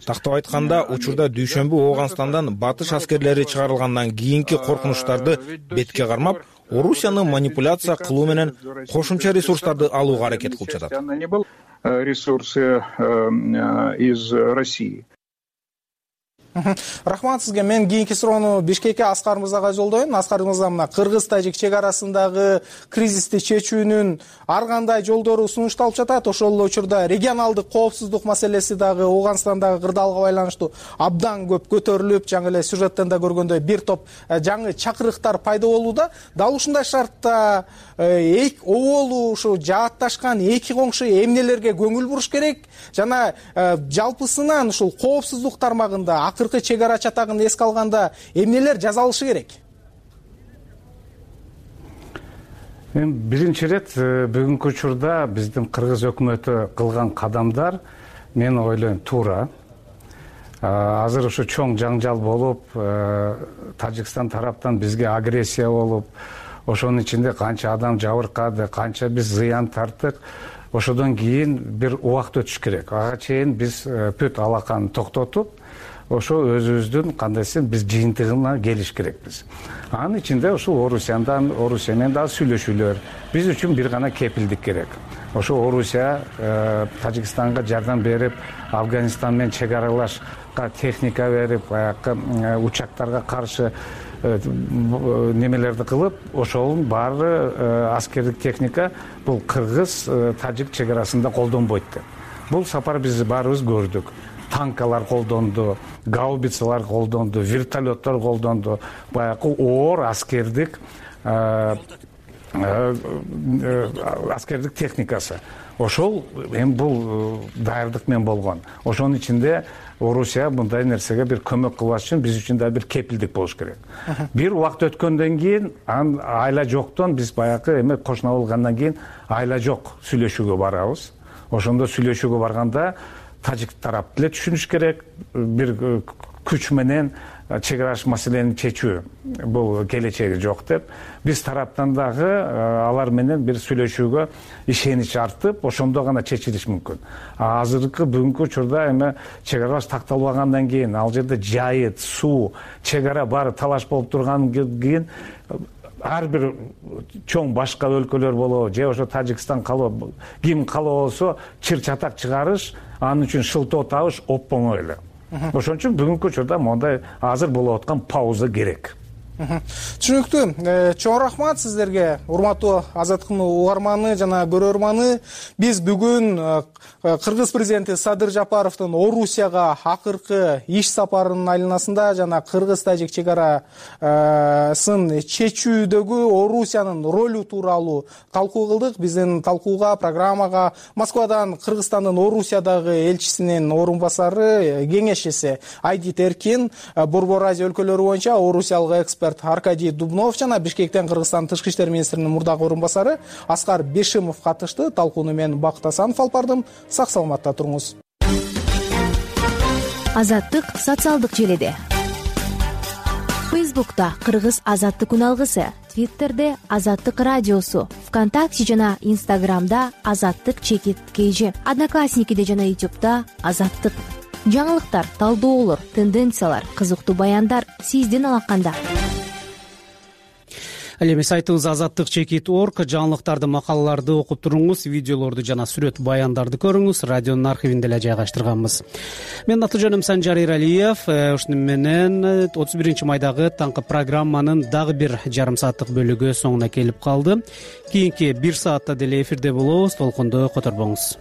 Тактап айтканда, учурда дүйшөмбү Ооганстандан батыш аскерлери чыгарылгандан кийинки коркунучтарды бетке кармап, Орусияны манипуляция кылуу менен кошумча ресурстарды алууга аракет кылып жатат. Ресурсы из России. Рахмат сизге. Мен кийинки суроону Бишкекке Аскар мырзага жолдойм. Аскар мырза, мына кыргыз-тажик чек арасындагы кризисти чечүүнүн ар кандай жолдору сунушталып жатат. Ошол эле учурда регионалдык коопсуздук маселеси дагы Ооганстандагы кырдаалга байланыштуу абдан көп көтөрүлүп, жаңы эле сюжеттен да көргөндөй бир топ жаңы чакырыктар пайда болууда. Дал ушундай шартта оболу ушу жаатташкан эки коңшу эмнелерге көңүл буруш керек жана жалпысынан ушул коопсуздук тармагында акыркы чек ара чатагын эске алганда эмнелер жасалышы керек? Биринчи ирет бүгүнкү учурда биздин кыргыз өкмөтү кылган кадамдар мен ойлойм туура. Азыр ушу чоң жаңжал болуп, Тажикстан тараптан бизге агрессия болуп, ошонун ичинде канча адам жабыркады, канча биз зыян тарттык. Ошодон кийин бир убакыт өтүш керек. Ага чейин биз бүт алаканы токтотуп, ошо өзүбүздүн кандайсы биз жыйынтыгына келиш керекпиз. Анын ичинде ушул Орусия менен дагы сүйлөшүүлөр биз үчүн бир гана кепилдик керек. Ошо Орусия Тажикстанга жардам берип, Афганистан менен чек аралашка техника берип, баягы учактарга каршы немелерди кылып, ошонун баары аскердик техника бул кыргыз-тажик чек арасында колдонбойт деп. Бул сапар биз баарыбыз көрдүк. Танкалар колдонду, гаубицалар колдонду, вертолеттор колдонду, баягы оор аскердик техникасы. Ошол эми бул даярдык менен болгон. Ошонун ичинде Орусия мындай нерсеге бир көмөк кылбаш үчүн биз үчүн да бир кепилдик болуш керек. Бир убакыт өткөндөн кийин айла жоктон биз баягы эме кошуна болгондон кийин айла жок сүйлөшүүгө барабыз. Ошондо сүйлөшүүгө барганда тажик тарап деле түшүнүш керек, бир күч менен чек аралаш маселени чечүү бул келечеги жок деп. Биз тараптан дагы алар менен бир сүйлөшүүгө ишенич артып, ошондо гана чечилиш мүмкүн. Азыркы бүгүнкү учурда эме чек аралаш такталбагандан кийин, ал жерде жайыт, суу, чек ара баары талаш болуп тургандан кийин ар бир чоң башка өлкөлөр болобу, же ошо Тажикстан калыбы, ким калыбы болсо чыр чатак чыгарыш, анын үчүн шылтоо табыш оп-оңой эле. Ошон үчүн бүгүнкү учурда мондай азыр болуп аткан пауза керек. Түшүнүктүү. Чоң рахмат сиздерге, урматтуу Азаттыктын угарманы жана көрөрманы. Биз бүгүн Кыргыз президенти Садыр Жапаровдун Орусияга акыркы иш сапарынын айланасында жана кыргыз-тажик чек арасын чечүүдөгү Орусиянын ролу тууралуу талкуу кылдык. Биздин талкууга, программага Москвадан Кыргызстандын Орусиядагы элчисинин орун басары, кеңешчиси Айдит Эркин, Борбор Азия өлкөлөрү боюнча орусиялык эксперт Аркадий Дубнов жана Бишкектен Кыргызстан тышкы иштер министринин мурдагы орун басары Аскар Бешимов катышты. Талкууну мен Бакыт Асанов алып бардым. Сак саламатта туруңуз. Азаттык социалдык желиде. Фейсбукта Кыргыз азаттык күн алгысы, Твиттерде Азаттык радиосу, ВКонтакте жана Инстаграмда Азаттык _KG, Одноклассникиде жана Ютубта Азаттык. Жаңылыктар, талдоолор, тенденциялар, кызыктуу баяндар сиздин алаканда. ал эми сайтыбыз azattik.org жаңылыктарды, макалаларды окуп туруңуз, видеолорду жана сүрөт баяндарды көрүңүз. Радионун архивинде эле жайгаштырганбыз. Менин аты жөнүм Санжар Иралиев. Ушуну менен 31 майдагы таңкы программанын дагы бир жарым сааттык бөлүгү соңуна келип калды. Кийинки 1 саатта деле эфирде болобуз. Толкунду которбоңуз.